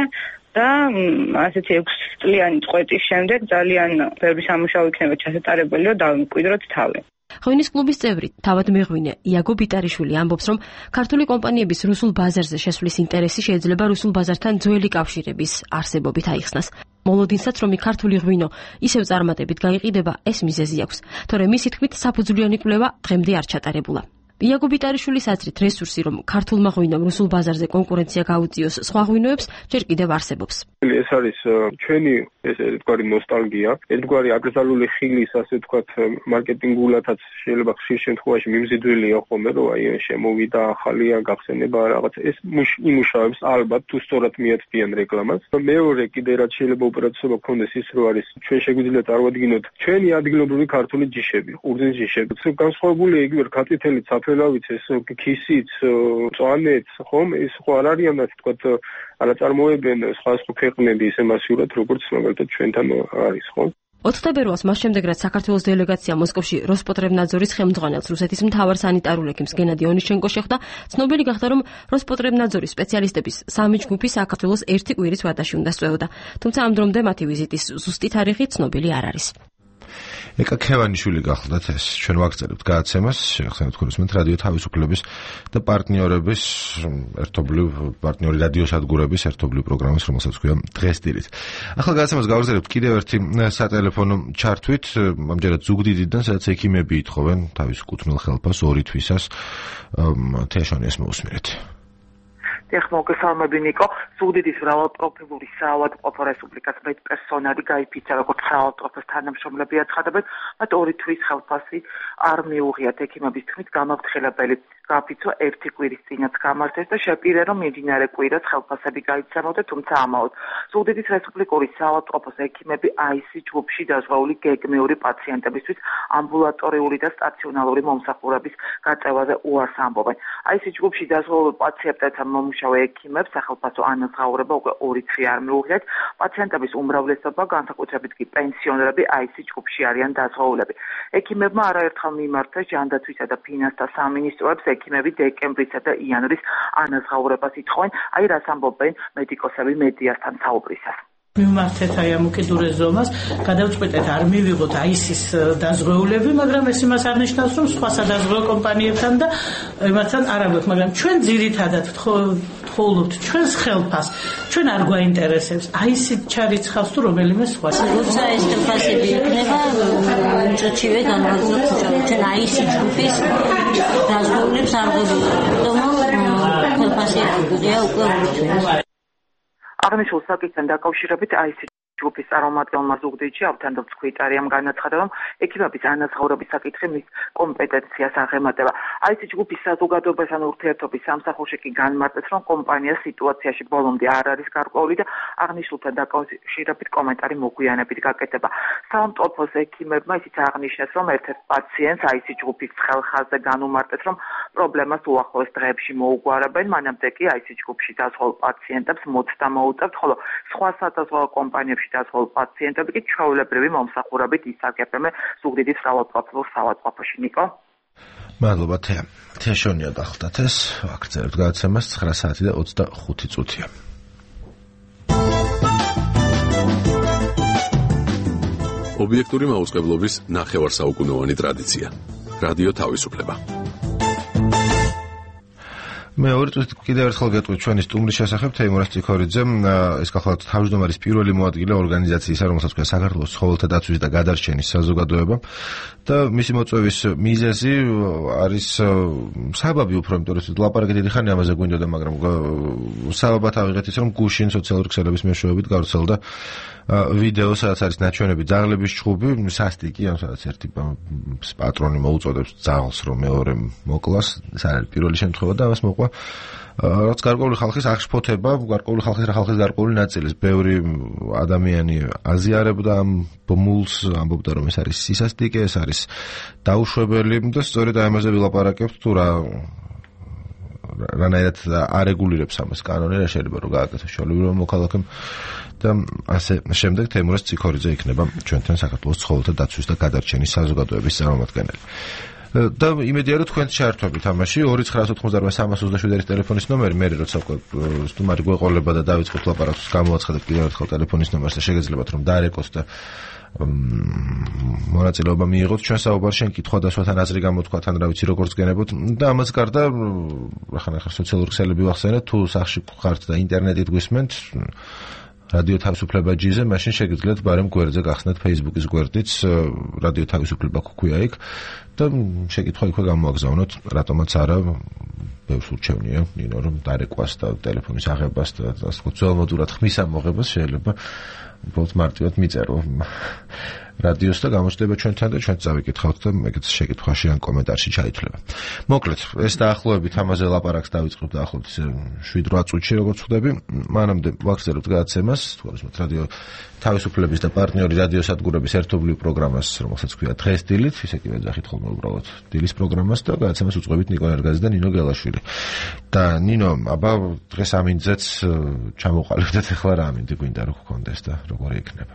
და ასეთი 6 წლიანი წყვეტის შემდეგ ძალიან ბევრი სამუშაო იქნება ჩასატარებელი, რომ დავიმკვიდროთ თავი. ღვინის კლუბის წევრი, თავად მეღვინე იაგო ბიტარიშვილი ამბობს, რომ ქართული კომპანიების რუსულ ბაზარზე შესვლის ინტერესი შეიძლება რუსულ ბაზართან ძველი კავშირების არსებობით აიხსნას. მოლოდინსაც, რომ ქართული ღვინო ისევ წარმატებით გაიყიდება, ეს მიზეზი აქვს. თორემ მისი თქმით, საფუძვლიანი კვლევა დღემდე არ ჩატარებულა. იაგო ბიტარიშვილის აზრით, რესურსი, რომ ქართულმა ღვინომ რუსულ ბაზარზე კონკურენცია გაუწიოს სხვა ღვინოებს, ჯერ კიდევ არსებობს. ეს არის ჩვენი ერთგვარი ნოსტალგია, ერთგვარი აკრძალული ხილის, ასე ვთქვათ, მარკეტინგულადაც შეიძლება ხშირ შემთხვევაში მიმზიდველია ხოლმე, რომ აი შემოვიდა ახალია გახსენება რაღაც. ეს იმუშავებს ალბათ თუ სწორად მიაწვდიან რეკლამას. მეორე კიდე რაც შეიძლება უპირატესობა გქონდეს ის, რომ არის ჩვენ შეგვიძლია წარვადგინოთ ჩვენი ადგილობრივი ქართული ჯიშები, ყურძნის ჯიშები. განსხვავებულია იგივე ქართლითელი საფელავიც, ეს ქისიც, წვანეც, ხომ, ეს ხო არ არიან, ასე ვთქვათ, არაწარმოებენ სხვა ქვეყნები ისე მასიურად, როგორც მაგალითად ჩვენთან არის, ხო? 20 თებერვალს მას შემდეგ, რაც საქართველოს დელეგაცია მოსკოვში როსპოტრებნაძორის ხელმძღვანელს, რუსეთის მთავარ სანიტარულ ექიმს გენადი ონიშჩენკო შეხვდა, ცნობილი გახდა, რომ როსპოტრებნაძორის სპეციალისტების სამი ჯგუფი საქართველოს ერთი კვირის ვადაში უნდა სწვეოდა. თუმცა ამ დრომდე მათი ვიზიტის ზუსტი თარიღი ცნობილი არ არის. ეკა ქევანიშვილი გახლდათ ეს. ჩვენ ვაგრძელებთ გადაცემას, შეგახსენებთ ქურსმენთ რადიო თავისუფლების და პარტნიორების პარტნიორი რადიოსადგურების ერთობლივი პროგრამის, რომელსაც ქვია დღეს დილით. ახლა გადაცემას გავაგრძელებთ კიდევ ერთი სატელეფონო ჩართვით, ამჯერად ზუგდიდიდან, სადაც ექიმები ითხოვენ თავის კუთვნილ ხელფას 2 თვისას. თეაშონიას მოусმინეთ. დიახ, მოგესალმები ნიკო. ზუგდიდის მრავალპროფილური საავადმყოფო რესპუბლიკას მედპერსონალი გაიფიცა, როგორც საავადმყოფოს თანამშრომლები აცხადებენ, მათ 2 თვის ხელფასი არ მიუღიათ. ექიმების თქმით, გამაფრთხილებელი გააფიცვა 1 კვირის წინაც გამართეს და შეპირა, რომ მიმდინარე კვირას ხელფასები გაიცემოდა, თუმცა ამაოდ. ზუგდიდის რესპუბლიკური საავადმყოფოს ექიმები AIS ჯგუფში დაზღვეული გეგმიური პაციენტებისთვის ამბულატორიული და სტაციონალური მომსახურების გაწევაზე უარს ამბობენ. AIS ჯგუფში დაზღვეულ პაციენტებთან მომუშავე ექიმებს სახელმწიფო ანაზღაურება უკვე 2 თვე არ მიუღიათ. პაციენტების უმრავლესობა, განსაკუთრებით კი პენსიონერები AIS ჯგუფში არიან დაზღვეულები. ექიმებმა არაერთხელ მიმართეს ჯანდაცვისა და ფინანსთა სამინისტროებს ექიმები დეკემბრისა და იანვრის ანაზღაურებას ითხოვენ, აი რას ამბობენ მედიკოსები მედიასთან საუბრისას. მიმართეთ აი ამ უკიდურეს ზომას, გადავწყვეტეთ არ მივიღოთ AIS-ის დაზღვეულები, მაგრამ ეს იმას არ ნიშნავს, რომ სხვა სადაზღვეულ კომპანიებთან და იმათთან არ აგვაქვს, მაგრამ ჩვენ ძირითადად ვთხოვთ ჩვენს ხელფას, ჩვენ არ გვაინტერესებს AIS-ი ჩარიცხავს თუ რომელიმე სხვა. როცა ეს ხელფასები იქნება, წოჩივე განვაგრძელოთ ჩვენ AIS ჯგუფის დაზღვეულებს არ გვეუბნებთ, რომ ხელფასი აღდგია უკვე 2 თვეში. აღნიშნულ საკითხთან დაკავშირებით AIS ჯგუფის წარმომადგენელმა ზუგდიდში ავთანდილ ცხვიტარიამ განაცხადა, რომ ექიმების ანაზღაურების საკითხი მის კომპეტენციას აღემატება. აიცი ჯგუფის საზოგადოებასთან ურთიერთობის სამსახურში კი განმარტეს, რომ კომპანია სიტუაციაში ბოლომდე არ არის გარკვეული და აღნიშნულთან დაკავშირებით კომენტარი მოგვიანებით გაკეთება. საავადმყოფოს ექიმებმა ისიც აღნიშნეს, რომ ერთ-ერთ პაციენტს აიცი ჯგუფის ხელხაზზე განუმარტეს, რომ პრობლემას უახლოეს დღეებში მოუგვარებენ, მანამდე კი აიცი ჯგუფში დაზღვეულ პაციენტებს მოცდა მოუწევთ, ხოლო სხვა სადაზღვევო კომპანიებში დაზღვეულ პაციენტები კი ჩვეულებრივი მომსახურებით ისარგებლენ ზუგდიდის მრავალპროფილურ საავადმყოფოში. ნიკო. მადლობა თეა. თეა შონია დახლდათ ეს ვაგრძელებთ გადაცემას 9 საათი და 25 წუთია. ობიექტური მაუწყებლობის ნახევარსაუკუნოვანი ტრადიცია. რადიო თავისუფლება. მე ორი წუთით კიდევ ერთხელ გეტყვით ჩვენი სტუმრის შესახებ თეიმურაზ ციქორიძემ ეს გახლავთ თავმჯდომარის პირველი მოადგილე ორგანიზაციისა, რომელსაც ქვია საქართველოს ცხოველთა დაცვის და გადარჩენის საზოგადოება და მისი მოწვევის მიზეზი არის საბაბი უფრო, იმიტომ რომ ლაპარაკი დიდი ხანი ამაზე გვინდოდა, მაგრამ საბაბად ავიღეთ ის, რომ გუშინ სოციალური ქსელების მეშვეობით გავრცელდა ვიდეო, სადაც არის ნაჩვენები ძაღლების ჩხუბი, სასტიკი, ან სადაც ერთი პატრონი მოუწოდებს ძაღლს, რომ მეორე მოკლას, ეს არის პირველი შემთხვევა და ამას მოყვა რაც გარკვეული ხალხის აღშფოთება, გარკვეული ხალხის გარკვეული ნაწილის, ბევრი ადამიანი აზიარებდა ამ ბმულს, ამბობდა, რომ ეს არის სისასტიკე, ეს არის დაუშვებელი და სწორედ ამაზე ვილაპარაკებთ, თუ რანაირად არეგულირებს ამას კანონი, რა შეიძლება რომ გააკეთოს შოულებრივ მოქალაქემ და ასე შემდეგ. თეიმურაზ ციქორიძე იქნება ჩვენთან საქართველოს ცხოველთა დაცვის და გადარჩენის საზოგადოების წარმომადგენელი. და იმედია რომ თქვენ შეერთვებით ამაში 2988327 ტელეფონის ნომერი, მე როცა სტუმარი გვეყოლება და დავიწყოთ ლაპარაკს, გამოაცხადეთ კიდევ ერთხელ ტელეფონის ნომერს და შეგეძლებათ რომ დაარეკოს და მონაწილეობა მიიღოთ ჩვენ საუბარში, კითხვა დასვათან აზრი გამოთქვათ, ან რა ვიცი როგორც გენებოთ და ამას გარდა ახლა სოციალური ქსელები ვახსენეთ, თუ სახში ხართ და ინტერნეტით გვისმენთ რადიო თავისუფლება ჯიზე, მაშინ შეგიძლიათ ბარემ გვერდზე გახსნათ Facebook-ის გვერდიც, რადიო თავისუფლება გქვია იქ და შეკითხვა იქვე გამოაგზავნოთ, რატომაც არა ბევრს ურჩევნია ნინო რომ დარეკვას და ტელეფონის აღებას და ასე ვთქვათ, ძველმოდურად ხმის ამოღებას შეიძლება უბრალოდ მარტივად მიწერო რადიოს და გამოჩნდება ჩვენთან და ჩვენც წავიკითხავთ და ეგეც შეკითხვაში ან კომენტარში ჩაითვლება. მოკლედ, ეს დაახლოებით ამაზე ლაპარაკს დავიწყებთ დაახლოებით 7-8 წუთში, როგორც ხვდები. მანამდე ვაგრძელებთ გადაცემას, თქოს რადიო თავისუფლების და პარტნიორი რადიოსადგურების ერთობლივ პროგრამას, რომელსაც ქვია დღეს დილით, ისე კი ვეძახით ხოლმე უბრალოდ დილის პროგრამას და გადაცემას უწყობთ ნიკო ერგაძე და ნინო გელაშვილი. და ნინო, აბა დღეს ამინძეც ჩამოყალიბდეთ, ახლა რა ამინდი გვინდა რომ გქონდეს და როგორი იქნება.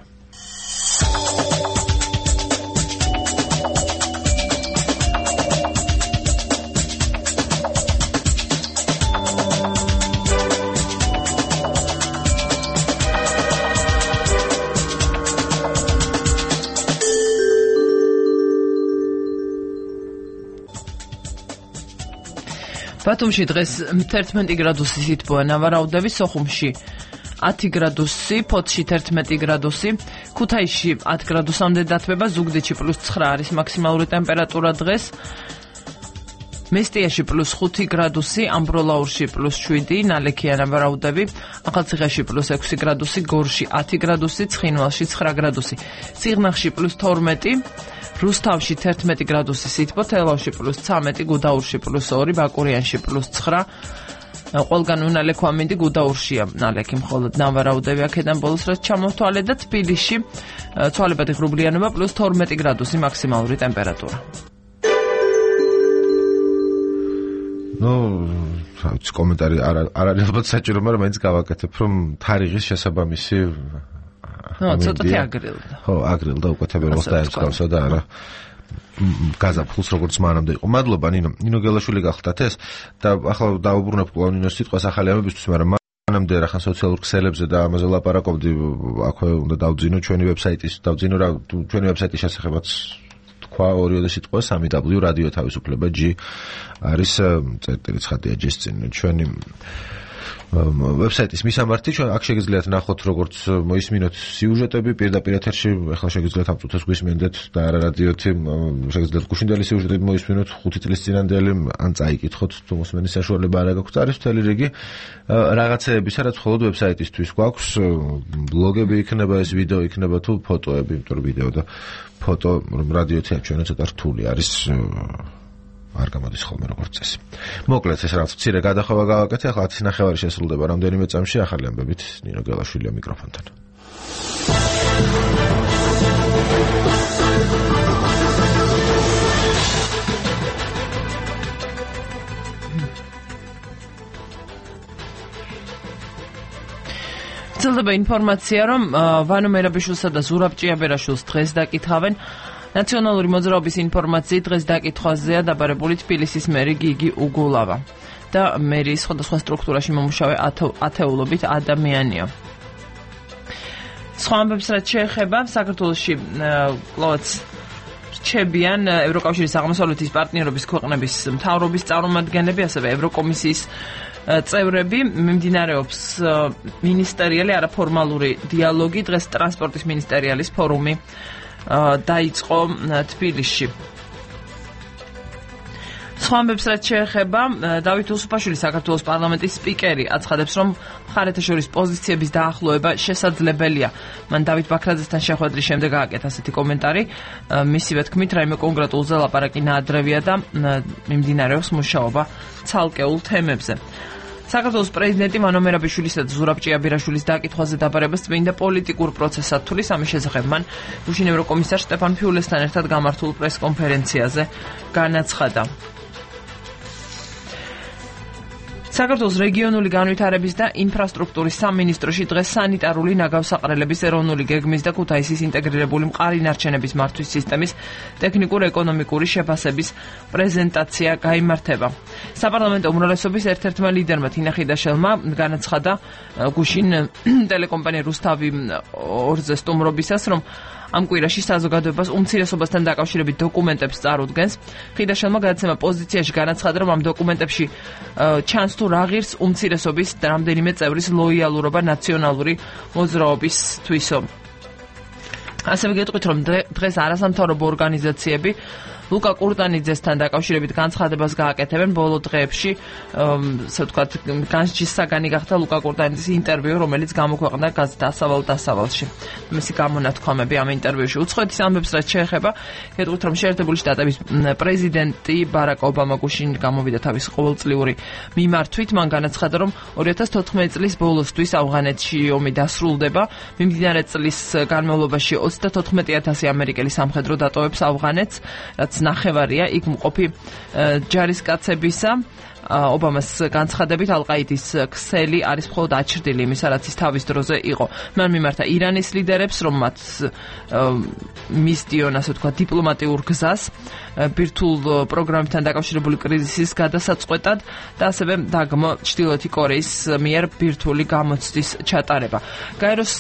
ბათუმში დღეს 11 გრადუსი სითბოა, ნავარაუდები სოხუმში 10 გრადუსი, ფოთში 11 გრადუსი, ქუთაისში 10 გრადუსამდე დათბება, ზუგდიდში +9 არის მაქსიმალური ტემპერატურა დღეს, მესტიაში +5 გრადუსი, ამბროლაურში +7, ნალექია ნავარაუდები, ახალციხეში +6 გრადუსი, გორში 10 გრადუსი, ცხინვალში 9 გრადუსი, სიღნაღში +12, რუსთავში 11 გრადუსი სითბო, თელავში +13, გუდაურში +2, ბაკურიანში +9, ყველგან უნალექვა მინდი, გუდაურშია ნალექი მხოლოდ ნავარაუდები აქედან ბოლოს რაც ჩამოთვალე და თბილისში ცვალებადი ღრუბლიანობა +12 გრადუსი მაქსიმალური ტემპერატურა. კომენტარი არ არის ალბათ საჭირო, მაგრამ მაინც გავაკეთებ, რომ თარიღის შესაბამისი ცოტათი აგრილდა. ხო, აგრილდა უკვე თებერვალს დაეწყავსა და არა გაზაფხულს როგორც მანამდე იყო. მადლობა ნინო გელაშვილი გახლდათ ეს და ახლა დაუბრუნებ კვლავ ნინოს სიტყვას ახალი ამებისთვის, მაგრამ მანამდე რა ხან სოციალურ ქსელებზე და ამაზე ლაპარაკობდი, აქვე უნდა დავძინო ჩვენი ვებსაიტის, რა ჩვენი ვებსაიტის შესახებაც თქვა ორიოდე სიტყვა 3w რადიო თავისუფლება G არის წერტილი ცხადია G-ს წინ ჩვენი ვებსაიტის მისამართი ჩვენ აქ შეგიძლიათ ნახოთ როგორც მოისმინოთ სიუჟეტები პირდაპირ ეთერში ახლა შეგიძლიათ ამ წუთას გვისმენდეთ და არა რადიოთი შეგიძლიათ გუშინდელი სიუჟეტები მოისმინოთ 5 წლის წინანდელი ან წაიკითხოთ თუ მოსმენის საშუალება არ გაქვთ არის მთელი რიგი რაღაცეები სადაც მხოლოდ ვებსაიტისთვის გვაქვს ბლოგები იქნება ეს ვიდეო იქნება თუ ფოტოები იმიტომ რომ ვიდეო და ფოტო რადიოთი აჩვენა ცოტა რთული არის არ გამოდის ხოლმე როგორც წესი. მოკლედ ეს რაღაც მცირე გადახვევა გავაკეთე, ახლა 10:30 შესრულდება რამდენიმე წამში ახალი ამბებით ნინო გელაშვილია მიკროფონთან. ვრცელდება ინფორმაცია, რომ ვანო მერაბიშვილსა და ზურაბ ჭიაბერაშვილს დღეს დაკითხავენ. ნაციონალური მოძრაობის ინფორმაციით დღეს დაკითხვაზეა დაბარებული თბილისის მერი გიგი უგულავა და მერის სხვადასხვა სტრუქტურაში მომუშავე ათეულობით ადამიანია. სხვა ამბებს რაც შეეხება საქართველოში კლოც რჩებიან ევროკავშირის აღმოსავლეთის პარტნიორობის ქვეყნების მთავრობის წარმომადგენლები, ასევე ევროკომისიის წევრები. მიმდინარეობს მინისტერიალი არაფორმალური დიალოგი, დღეს ტრანსპორტის მინისტერიალის ფორუმი დაიწყო თბილისში. სხვა ამბებს რაც შეეხება დავით უსუფაშვილი საქართველოს პარლამენტის სპიკერი აცხადებს, რომ მხარეთა შორის პოზიციების დაახლოება შესაძლებელია. მან დავით ბაქრაძესთან შეხვედრის შემდეგ გააკეთა ასეთი კომენტარი. მისივე თქმით, რაიმე კონკრეტულზე ლაპარაკი ნაადრევია და მიმდინარეობს მუშაობა ცალკეულ თემებზე. საქართველოს პრეზიდენტი ვანო მერაბიშვილისა და ზურაბ ჭიაბერაშვილის დაკითხვაზე დაბარებას წმინდა პოლიტიკურ პროცესად თulis ამის შესახებ მან გუშინ ევროკომისარ შტეფან ფიულესთან ერთად გამართულ პრეს-კონფერენციაზე განაცხადა. საქართველოს რეგიონული განვითარების და ინფრასტრუქტურის სამინისტროში დღეს სანიტარული ნაგავსაყრელების ეროვნული გეგმის და ქუთაისის ინტეგრირებული მყარი ნარჩენების მართვის სისტემის ტექნიკურ-ეკონომიკური შეფასების პრეზენტაცია გაიმართება. საპარლამენტო უმრავლესობის ერთ-ერთმა ლიდერმა თინა ხიდაშელმა განაცხადა გუშინ ტელეკომპანია რუსთავი 2-ზე სტუმრობისას, რომ ამ კვირაში საზოგადოებას უმცირესობასთან დაკავშირებით დოკუმენტებს წარუდგენს. ხიდაშელმა გადაცემა პოზიციაში განაცხადა, რომ ამ დოკუმენტებში ჩანს თუ რა ღირს უმცირესობის რამდენიმე წევრის ლოიალურობა ნაციონალური მოძრაობისთვისო. ასევე გეტყვით, რომ დღეს არასამთავრობო ორგანიზაციები ლუკა კურტანიძესთან დაკავშირებით განცხადებას გააკეთებენ. ბოლო დღეებში, ასე ვთქვათ, განსჯის საგანი გახდა ლუკა კურტანიძის ინტერვიუ, რომელიც გამოქვეყნდა გაზეთ დასავალ-დასავალში. მისი გამონათქვამები ამ ინტერვიუში. უცხოეთის ამბებს რაც შეეხება, გეტყვით, რომ შეერთებული შტატების პრეზიდენტი ბარაკ ობამა გუშინ გამოვიდა თავის ყოველწლიური მიმართვით. მან განაცხადა, რომ 2014 წლის ბოლოსთვის ავღანეთში ომი დასრულდება. მიმდინარე წლის განმავლობაში 34,000 ამერიკელი სამხედრო დატოვებს ავღანეთს, რაც ნახევარია იქ მყოფი ჯარისკაცებისა. ობამას განცხადებით ალ-ყაიდის ქსელი არის მხოლოდ აჩრდილი იმისა, რაც ის თავის დროზე იყო. მან მიმართა ირანის ლიდერებს, რომ მათ მისდიონ, ასე ვთქვათ, დიპლომატიურ გზას ბირთვულ პროგრამებთან დაკავშირებული კრიზისის გადასაწყვეტად და ასევე დაგმო ჩრდილოეთი კორეის მიერ ბირთვული გამოცდის ჩატარება. გაეროს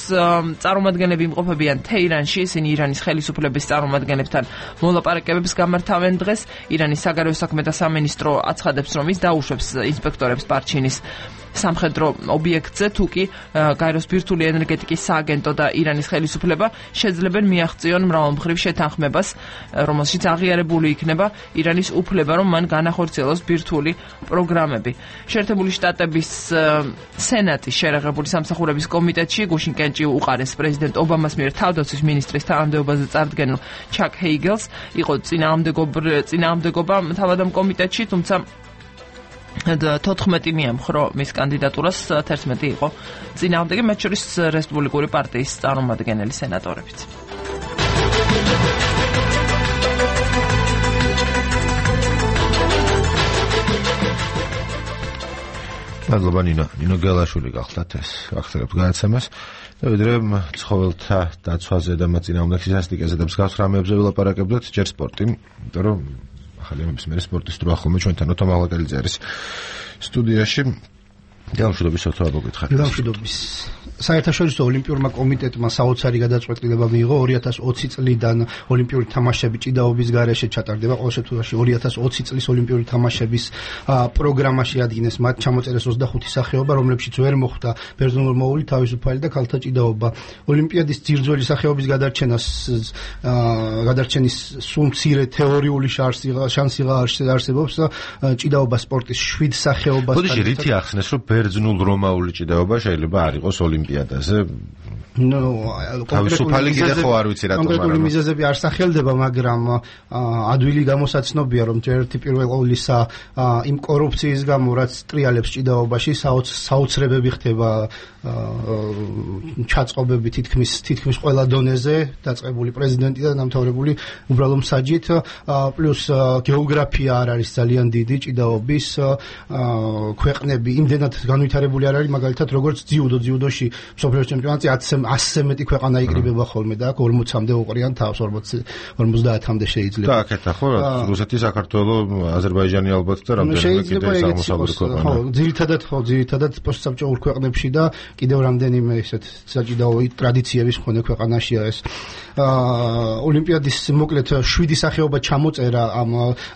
წარმომადგენლები იმყოფებიან თეირანში, ისინი ირანის ხელისუფლების წარმომადგენლებთან მოლაპარაკებებს გამართავენ დღეს. ირანის საგარეო საქმეთა სამინისტრო აცხადებს, რომ ის დაუშვებს ინსპექტორებს პარჩინის სამხედრო ობიექტზე, თუ კი გაეროს ბირთვული ენერგეტიკის სააგენტო და ირანის ხელისუფლება შეძლებენ მიაღწიონ მრავალმხრივ შეთანხმებას, რომელშიც აღიარებული იქნება ირანის უფლება, რომ მან განახორციელოს ბირთვული პროგრამები. შეერთებული შტატების სენატის შერეღებული სამსახურების კომიტეტში გუშინ კენჭი უყარეს პრეზიდენტ ობამას მიერ თავდაცვის მინისტრის თანამდებობაზე წარდგენილ ჩაკ ჰეიგელს. იყო წინააღმდეგობა თავად ამ კომიტეტში, თუმცა 14 მიემხრო მის კანდიდატურას, 11 იყო წინააღმდეგი, მათ შორის რესპუბლიკური პარტიის წარმომადგენელი სენატორებიც. მადლობა ნინო გელაშვილი გახლდათ ეს ვახსენებთ გადაცემას და ვიდრე ცხოველთა დაცვაზე და მათ წინააღმდეგ სტატისტიკაზე და მსგავს რამებზე ვილაპარაკებდით, ჯერ სპორტი, იმიტომ რომ ახალი ამბების მერე სპორტის დრო ახლა ჩვენთან ოთო მაღლაკელიძე არის სტუდიაში. გამშვიდობის ოთო, აბო გითხარით. გამშვიდობის. საერთაშორისო ოლიმპიურმა კომიტეტმა საოცარი გადაწყვეტილება მიიღო 2020 წლიდან ოლიმპიური თამაშები ჭიდაობის გარეშე ჩატარდება. ყოველ შემთხვევაში 2020 წლის ოლიმპიური თამაშების პროგრამაში ადგინეს მათ ჩამოწერეს 25 სახეობა, რომლებშიც ვერ მოხვდა ბერძნულ-მოული, თავისუფალი და ქალთა ჭიდაობა. ოლიმპიადის ძირძველი სახეობის გადარჩენის სულ მცირე თეორიული შანსი არსებობს ჭიდაობა სპორტის 7 სახეობას. ხოდიში რითი ახსნეს, რომ ბერძნულ-რომაული ჭიდაობა შეიძლება არ იყოს ოლიმპიადაზე? თავისუფალი კიდე ხო არ ვიცი რატომ არა. კონკრეტული მიზეზები არ სახელდება, მაგრამ ადვილი გამოსაცნობია, რომ ერთი პირველ ყოვლისა იმ კორუფციის გამო, რაც ტრიალებს ჭიდაობაში, საოცრებები ხდება ჩაწყობები თითქმის ყველა დონეზე, დაწყებული პრეზიდენტიდან დამთავრებული უბრალო მსაჯით, პლუს გეოგრაფია არ არის ძალიან დიდი ჭიდაობის, ქვეყნები იმდენად განვითარებული არ არის, მაგალითად როგორც ძიუდოში მსოფლიოს ჩემპიონატზე 100-ზე მეტი ქვეყანა იკრიბება ხოლმე და აქ 40-მდე უყრიან თავს, 50-მდე შეიძლება. და აქეთა ხო, რუსეთი, საქართველო, აზერბაიჯანი ალბათ და რამდენიმე კიდე აღმოსავლური ქვეყანა. ხო, ძირითადად პოსტსაბჭოურ ქვეყნებში და კიდევ რამდენიმე ესეთ საჭიდაო ტრადიციების მქონე ქვეყანაშია ეს. ოლიმპიადის მოკლედ 7 სახეობა ჩამოწერა ამ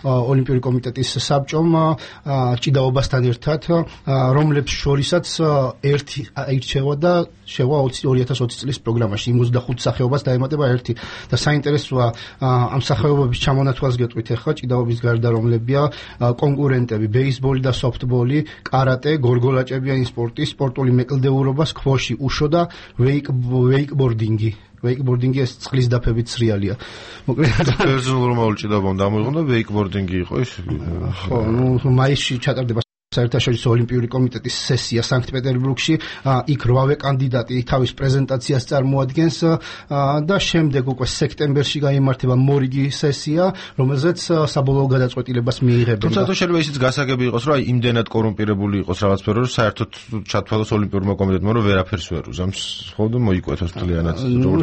ოლიმპიური კომიტეტის საბჭომ ჭიდაობასთან ერთად, რომლებს შორისაც ერთი აირჩევა და შევა 2020 წლის პროგრამაში 25 სახეობას დაემატება ერთი და საინტერესოა ამ სახეობების ჩამონათვალს გეტყვით ახლა ჭიდაობის გარდა რომლებია კონკურენტები ბეისბოლი და სოფტბოლი, კარატე, გორგოლაჭებიანი სპორტი, სპორტული მეკლდეურობა, სქვოში, უშო და ვეიკბორდინგი. ვეიკბორდინგი ეს წყლის დაფებით სრიალია. მოკლედ ბერძნულ-რომაული ჭიდაობამ დამოიღო და ვეიკბორდინგი იყო ეს. ხო, მაისში ჩატარდება საერთაშორისო ოლიმპიური კომიტეტის სესია სანქტ-პეტერბურგში, იქ 8 კანდიდატი თავის პრეზენტაციას წარმოადგენს და შემდეგ უკვე სექტემბერში გაიმართება მორიგი სესია, რომელზეც საბოლოო გადაწყვეტილებას მიიღებენ. თუმცა თუ შეიძლება ისიც გასაგები იყოს, რომ იმდენად კორუმპირებული იყოს რაღაც სფერო, რომ საერთოდ ჩათვალოს ოლიმპიურმა კომიტეტმა, რომ ვერაფერს ვერ უზამს, ხო და მოიკვეთოს მთლიანად.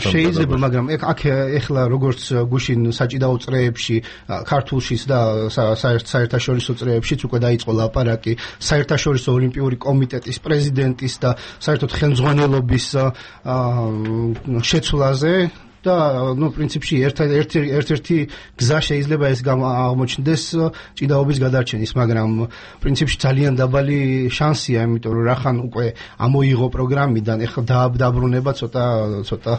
შეიძლება, მაგრამ აქ ეხლა როგორც გუშინ საჭიდაო წრეებში, ქართულშიც და საერთაშორისო წრეებშიც უკვე დაიწყო ლაპარაკი საერთაშორისო ოლიმპიური კომიტეტის პრეზიდენტის და საერთოდ ხელმძღვანელობის შეცვლაზე და პრინციპში ერთ-ერთი გზა შეიძლება ეს აღმოჩნდეს ჭიდაობის გადარჩენის, მაგრამ პრინციპში ძალიან დაბალი შანსია, იმიტომ რომ რახან უკვე ამოიღო პროგრამიდან, ეხლა დაბრუნება ცოტა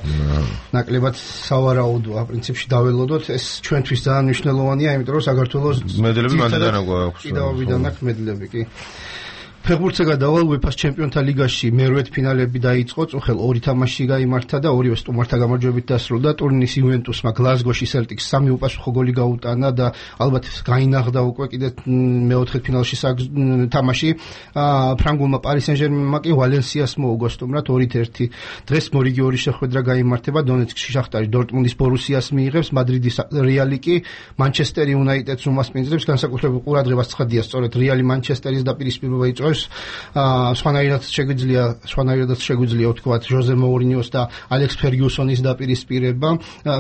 ნაკლებად სავარაუდოა. პრინციპში დაველოდოთ, ეს ჩვენთვის ძალიან მნიშვნელოვანია, იმიტომ რომ საქართველოს მედლები მანდიდან აქვს. ჭიდაობიდან აქვს მედლები კი. ფეხბურთზე გადავალ UEFA-ს ჩემპიონთა ლიგაში მერვედ ფინალები დაიწყო, წუხელ 2 თამაში გაიმართა და ორივე სტუმართა გამარჯვებით დასრულდა. ტურნირის იუვენტუსმა გლაზგოში სელტიკს 3 უპასუხო გოლი გაუტანა და ალბათ გაინაღდა უკვე კიდე მეოთხე ფინალში თამაში. ფრანგულმა პარი სენ-ჟერმენმა კი ვალენსიას მოუგო სტუმრად 2-1. დღეს მორიგი 2 შეხვედრა გაიმართება. დონეცკში შახტარი დორტმუნდის ბორუსიას მიიღებს, მადრიდის რეალი კი მანჩესტერ იუნაიტედს უმასპინძლებს. განსაკუთრებულ ყურადღებას ცხადია სწორედ რეალი მანჩესტერის დაპირისპირება იწვევს. სხვანაირად შეგვიძლია ვთქვათ ჟოზე მოურინიოს და ალექს ფერგიუსონის დაპირისპირება.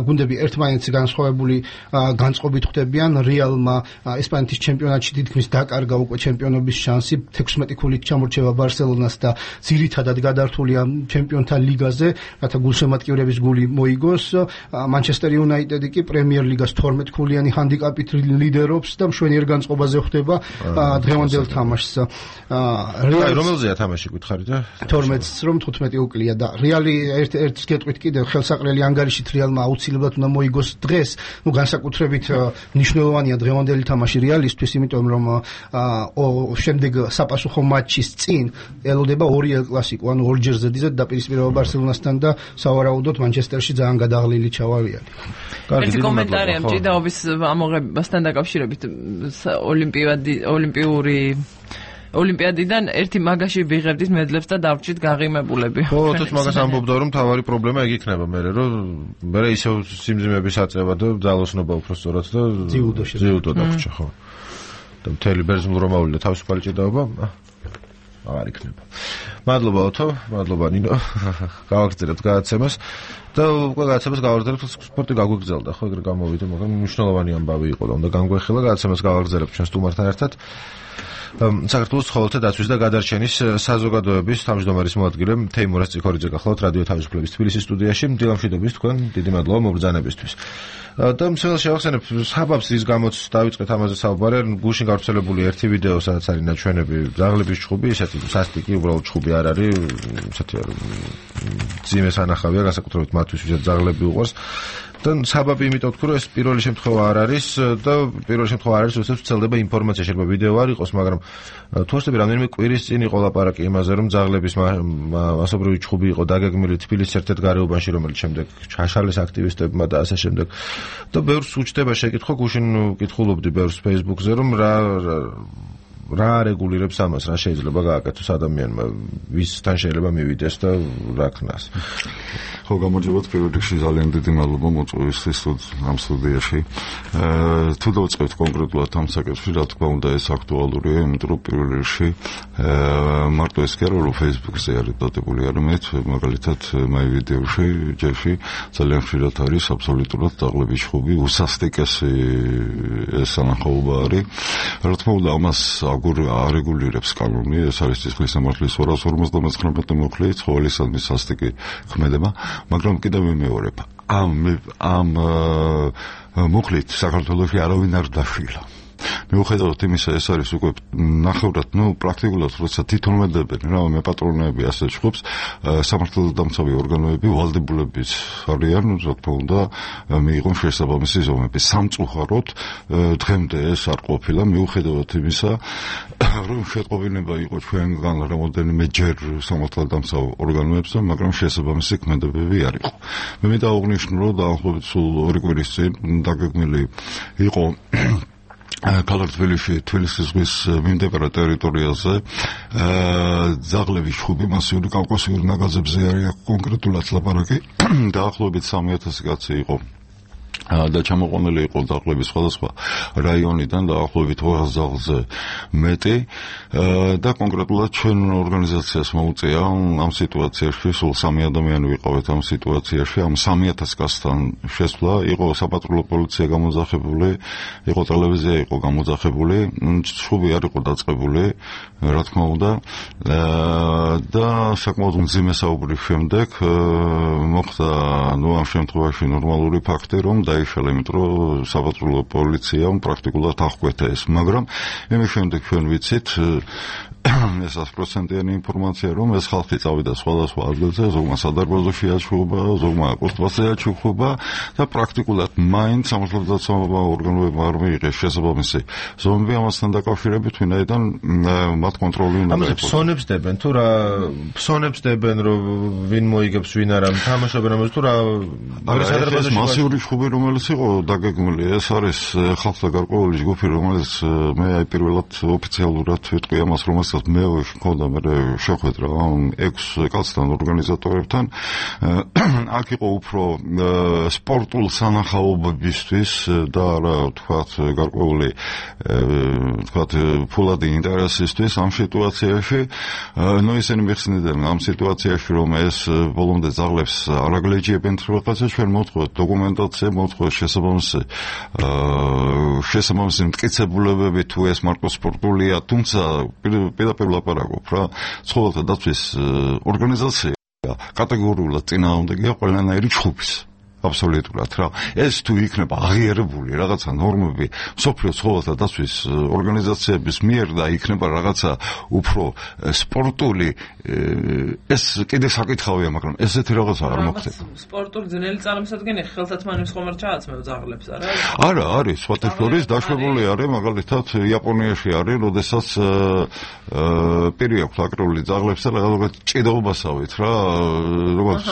გუნდები ერთმანეთს განსხვავებული განწყობით ხვდებიან. რეალმა ესპანეთის ჩემპიონატში თითქმის დაკარგა უკვე ჩემპიონობის შანსი, 16 ქულით ჩამორჩება ბარსელონას და ძირითადად გადართულია ჩემპიონთა ლიგაზე, რათა გულშემატკივრების გული მოიგოს. მანჩესტერ იუნაიტედი კი პრემიერ ლიგას 12 ქულიანი ჰანდიკაპით ლიდერობს და მშვენიერ განწყობაზე ხვდება დღევანდელ თამაშს. რომელზეა თამაში გითხარი და 12-ს რომ 15 უკლია და რეალი ერთ გეტყვით კიდევ ხელსაყრელი ანგარიშით რეალმა აუცილებლად უნდა მოიგოს დღეს. განსაკუთრებით მნიშვნელოვანია დღევანდელი თამაში რეალისთვის, იმიტომ რომ შემდეგ საპასუხო მატჩის წინ ელოდება 2 ელ კლასიკო, ანუ ორჯერ ზედიზედ დაპირისპირება ბარსელონასთან და სავარაუდოდ მანჩესტერში ძალიან გადაღლილი ჩავა რეალი. ერთი კომენტარია ჭიდაობის ამოღებასთან დაკავშირებით ოლიმპიადიდან ერთი მაგაში ვიღებდით მედლებს და დავრჩით გააღიმებულები. ხო, თუთ მაგას ამბობდა რომ თავარი პრობლემა ეგ იქნება მერე, რომ მერე ისევ სიმძიმების აწევა და ძალოსნობა უფრო სწორად და ძიუდო დაგვრჩა, ხო. და მთელი ბერძნულ-რომაული და თავისუფალი ჭიდაობა აღარ იქნება. მადლობა ოთო, მადლობა ნინო. გავაგრძელებთ გადაცემას და უკვე გადაცემას გავაგრძელებთ სპორტი გაგვიგზელდა, ხო ეგრე გამოვიდა, მაგრამ მნიშვნელოვანი ამბავი იყო და უნდა განგვეხილა გადაცემას გავაგრძელებთ ჩვენ სტუმართან ერთად. საქართველოს ცხოველთა დაცვის და გადარჩენის საზოგადოების თავმჯდომარის მოადგილე თეიმურაზ წიქორიძე გახლავთ რადიო თავისუფლების თბილისის სტუდიაში. დილამშვიდობის თქვენ, დიდი მადლობა მობრძანებისთვის. და მსმენელს შევახსენებ საბაბს რის გამოც დავიწყეთ ამაზე საუბარი, გუშინ გავრცელებული ერთი ვიდეო, სადაც არის ნაჩვენები ძაღლების ჩხუბი, ესეთი სასტიკი, უბრალოდ ჩხუბი არ არის, ესეთი ძიმე სანახავია, განსაკუთრებით მათთვის, ვისაც ძაღლები უყვარს. და საბაბი იმიტომ ვთქვი, რომ ეს პირველი შემთხვევა არ არის და პირველი შემთხვევა არ არის, როდესაც ვრცელდება ინფორმაცია, შეიძლება ვიდეო არ იყოს, მაგრამ თუ ვსწრები რამდენიმე კვირის წინ იყო ლაპარაკი იმაზე, რომ ძაღლების მასობრივი ჩხუბი იყო დაგეგმილი თბილისის ერთ-ერთ გარეუბანში, რომელიც შემდეგ ჩაშალეს აქტივისტებმა და ასე შემდეგ. და ბევრს უჩნდება შეკითხვა, გუშინ ვკითხულობდი ბევრს Facebook-ზე, რომ რა რეგულირებს ამას, რა შეიძლება გააკეთოს ადამიანმა, ვისთან შეიძლება მივიდეს და რა ქნას. ხო, გამარჯობათ, პირველ რიგში ძალიან დიდი მადლობა მოწვევისთვის ამ სტუდიაში. თუ დავწყებთ კონკრეტულად ამ საკითხში, რა თქმა უნდა, ეს აქტუალურია, იმიტომ რომ პირველ რიგში მარტო ეს კი არა, რომ Facebook-ზე არის დადებული არამედ მაგალითად My Video-ში, ჯერში ძალიან ხშირად არის აბსოლუტურად ძაღლების ჩხუბი, უსასტიკესი ეს სანახაობა არის. რა თქმა უნდა, ამას არეგულირებს კანონი, ეს არის სისხლის სამართლის 259 მოხლე ცხოველისადმი სასტიკი ქმედება, მაგრამ კიდევ ვიმეორებ, ამ მოხლით საქართველოში არავინ არ დაშილა. მიუხედავად იმისა, ეს არის უკვე ნახევრად, პრაქტიკულად, როცა თვითონვე დებენ რა მეპატრონეები ასეთ ჩხუბს, სამართალდამცავი ორგანოები, ვალდებულებიც არიან, რა თქმა უნდა, მიიღონ შესაბამისი ზომები. სამწუხაროდ, დღემდე ეს არ ყოფილა, მიუხედავად იმისა, რომ შეტყობინება იყო ჩვენგან რამოდენიმე ჯერ სამართალდამცავ ორგანოებზე, მაგრამ შესაბამისი ქმედებები არ იყო. მე მინდა აღნიშნო, რომ დაახლოებით სულ 2 კვირის წინ დაგეგმილი იყო ქალაქ თბილისში, თბილისის ზღვის მიმდებარე ტერიტორიაზე ძაღლების ჩხუბი მასიური კავკასიური ნაგაზებზე არის კონკრეტულად ლაპარაკი. დაახლოებით 3000 კაცი იყო და ჩამოყვანილი იყო ძაღლების სხვადასხვა რაიონიდან დაახლოებით 200 ძაღლზე მეტი და კონკრეტულად ჩვენ ორგანიზაციას მოუწია ამ სიტუაციაში სულ 3 ადამიანი ვიყავით ამ სიტუაციაში ამ 3000 კაცთან შესვლა იყო საპატრულო პოლიცია გამოძახებული იყო ტელევიზია იყო გამოძახებული ჩხუბი არ იყო დაწყებული რა თქმა უნდა და საკმაოდ მძიმე საუბრის შემდეგ მოხდა ამ შემთხვევაში ნორმალური ფაქტი რომ დაიშალა, იმიტომ რომ საპატრულო პოლიციამ პრაქტიკულად აღკვეთა ეს, მაგრამ იმის შემდეგ ჩვენ ვიცით ეს 100%-იანი ინფორმაცია, რომ ეს ხალხი წავიდა სხვადასხვა ადგილზე, ზოგმა სადარბაზოში აჩუქა, ზოგმა აკოსტვაზე აჩუქა და პრაქტიკულად მაინც სამართალდამცავ ორგანოებმა არ მიიღეს შესაბამისი ზომები ამასთან დაკავშირებით, ვინაიდან მათ კონტროლი უნდა იყოს. ფსონებს დებენ თუ რა ფსონებს დებენ, რომ ვინ მოიგებს, ვინ არა, თამაშობენ ამას თუ რა სადარბაზოში მასიური ჩხუბი რომელიც იყო დაგეგმილი, ეს არის ხალხთა გარკვეული ჯგუფი, რომელიც მე პირველად ოფიციალურად ვიტყვი ამას, რომელსაც მე მქონდა მე შეხვედრა 6 კაცთან ორგანიზატორებთან. აქ იყო უფრო სპორტულ სანახაობებისთვის და რა თქვათ გარკვეული თქვათ ფულადი ინტერესისთვის ამ სიტუაციაში. ისინი მიხსნიდნენ ამ სიტუაციაში, რომ ეს ბოლომდე ძაღლებს არ აგლეჯიებენ რაღაცა, ჩვენ მოთხოვთ დოკუმენტაცია, მოთხოვთ შესაბამისი მტკიცებულებები თუ ეს მარტო სპორტულია, თუმცა პირდაპირ ლაპარაკობ რა, ცხოველთა დაცვის ორგანიზაცია კატეგორიულად წინააღმდეგია ყველანაირი ჩხუბის. აბსოლუტურად რა. ეს თუ იქნება აღიარებული რაღაცა ნორმები სოფლიო ცხოველთა დაცვის ორგანიზაციების მიერ და იქნება რაღაცა უფრო სპორტული ეს კიდე საკითხავია, მაგრამ ესეთი რაღაცა არ მოხდება. სპორტული ძნელი წარმოსადგენი ხელსაწყოების ხომ არ ჩააცმევ ძაღლებს, არა? არა, არის, სხვათა შორის დაშვებული არის, მაგალითად იაპონიაში არის, როდესაც პირი აქვს აკრული ძაღლებს და რაღაც ჭიდაობასავით რა, როგორც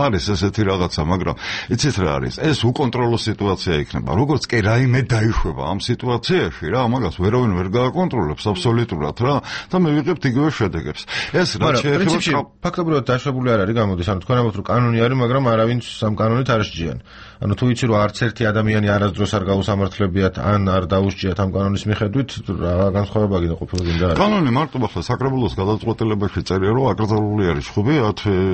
არის ესეთი რაღაცა, მაგრამ იცით რა არის? ეს უკონტროლო სიტუაცია იქნება. როგორც კი რაიმე დაიშვება ამ სიტუაციაში რა, ამას ვერავინ ვერ გააკონტროლებს აბსოლუტურად რა და მე ვიღებთ იგივე შედეგებს. ეს რა შეეხება ფაქტობრივად დაშვებული არ არის გამოდის, ანუ თქვენ ამბობთ რომ კანონი არის, მაგრამ არავინ სამ კანონით არ შეჯიან. ანუ თუ იცი რომ არც ერთი ადამიანი არასდროს არ გაუსამართლებიათ ან არ დაუსჯიათ ამ კანონის მიხედვით, რა განსხვავება გინდა ყოფილიყო და კანონი მარტო ახლა საკრებულოს გადაწყვეტილებაში წერია რომ აკრძალული არის ხუბი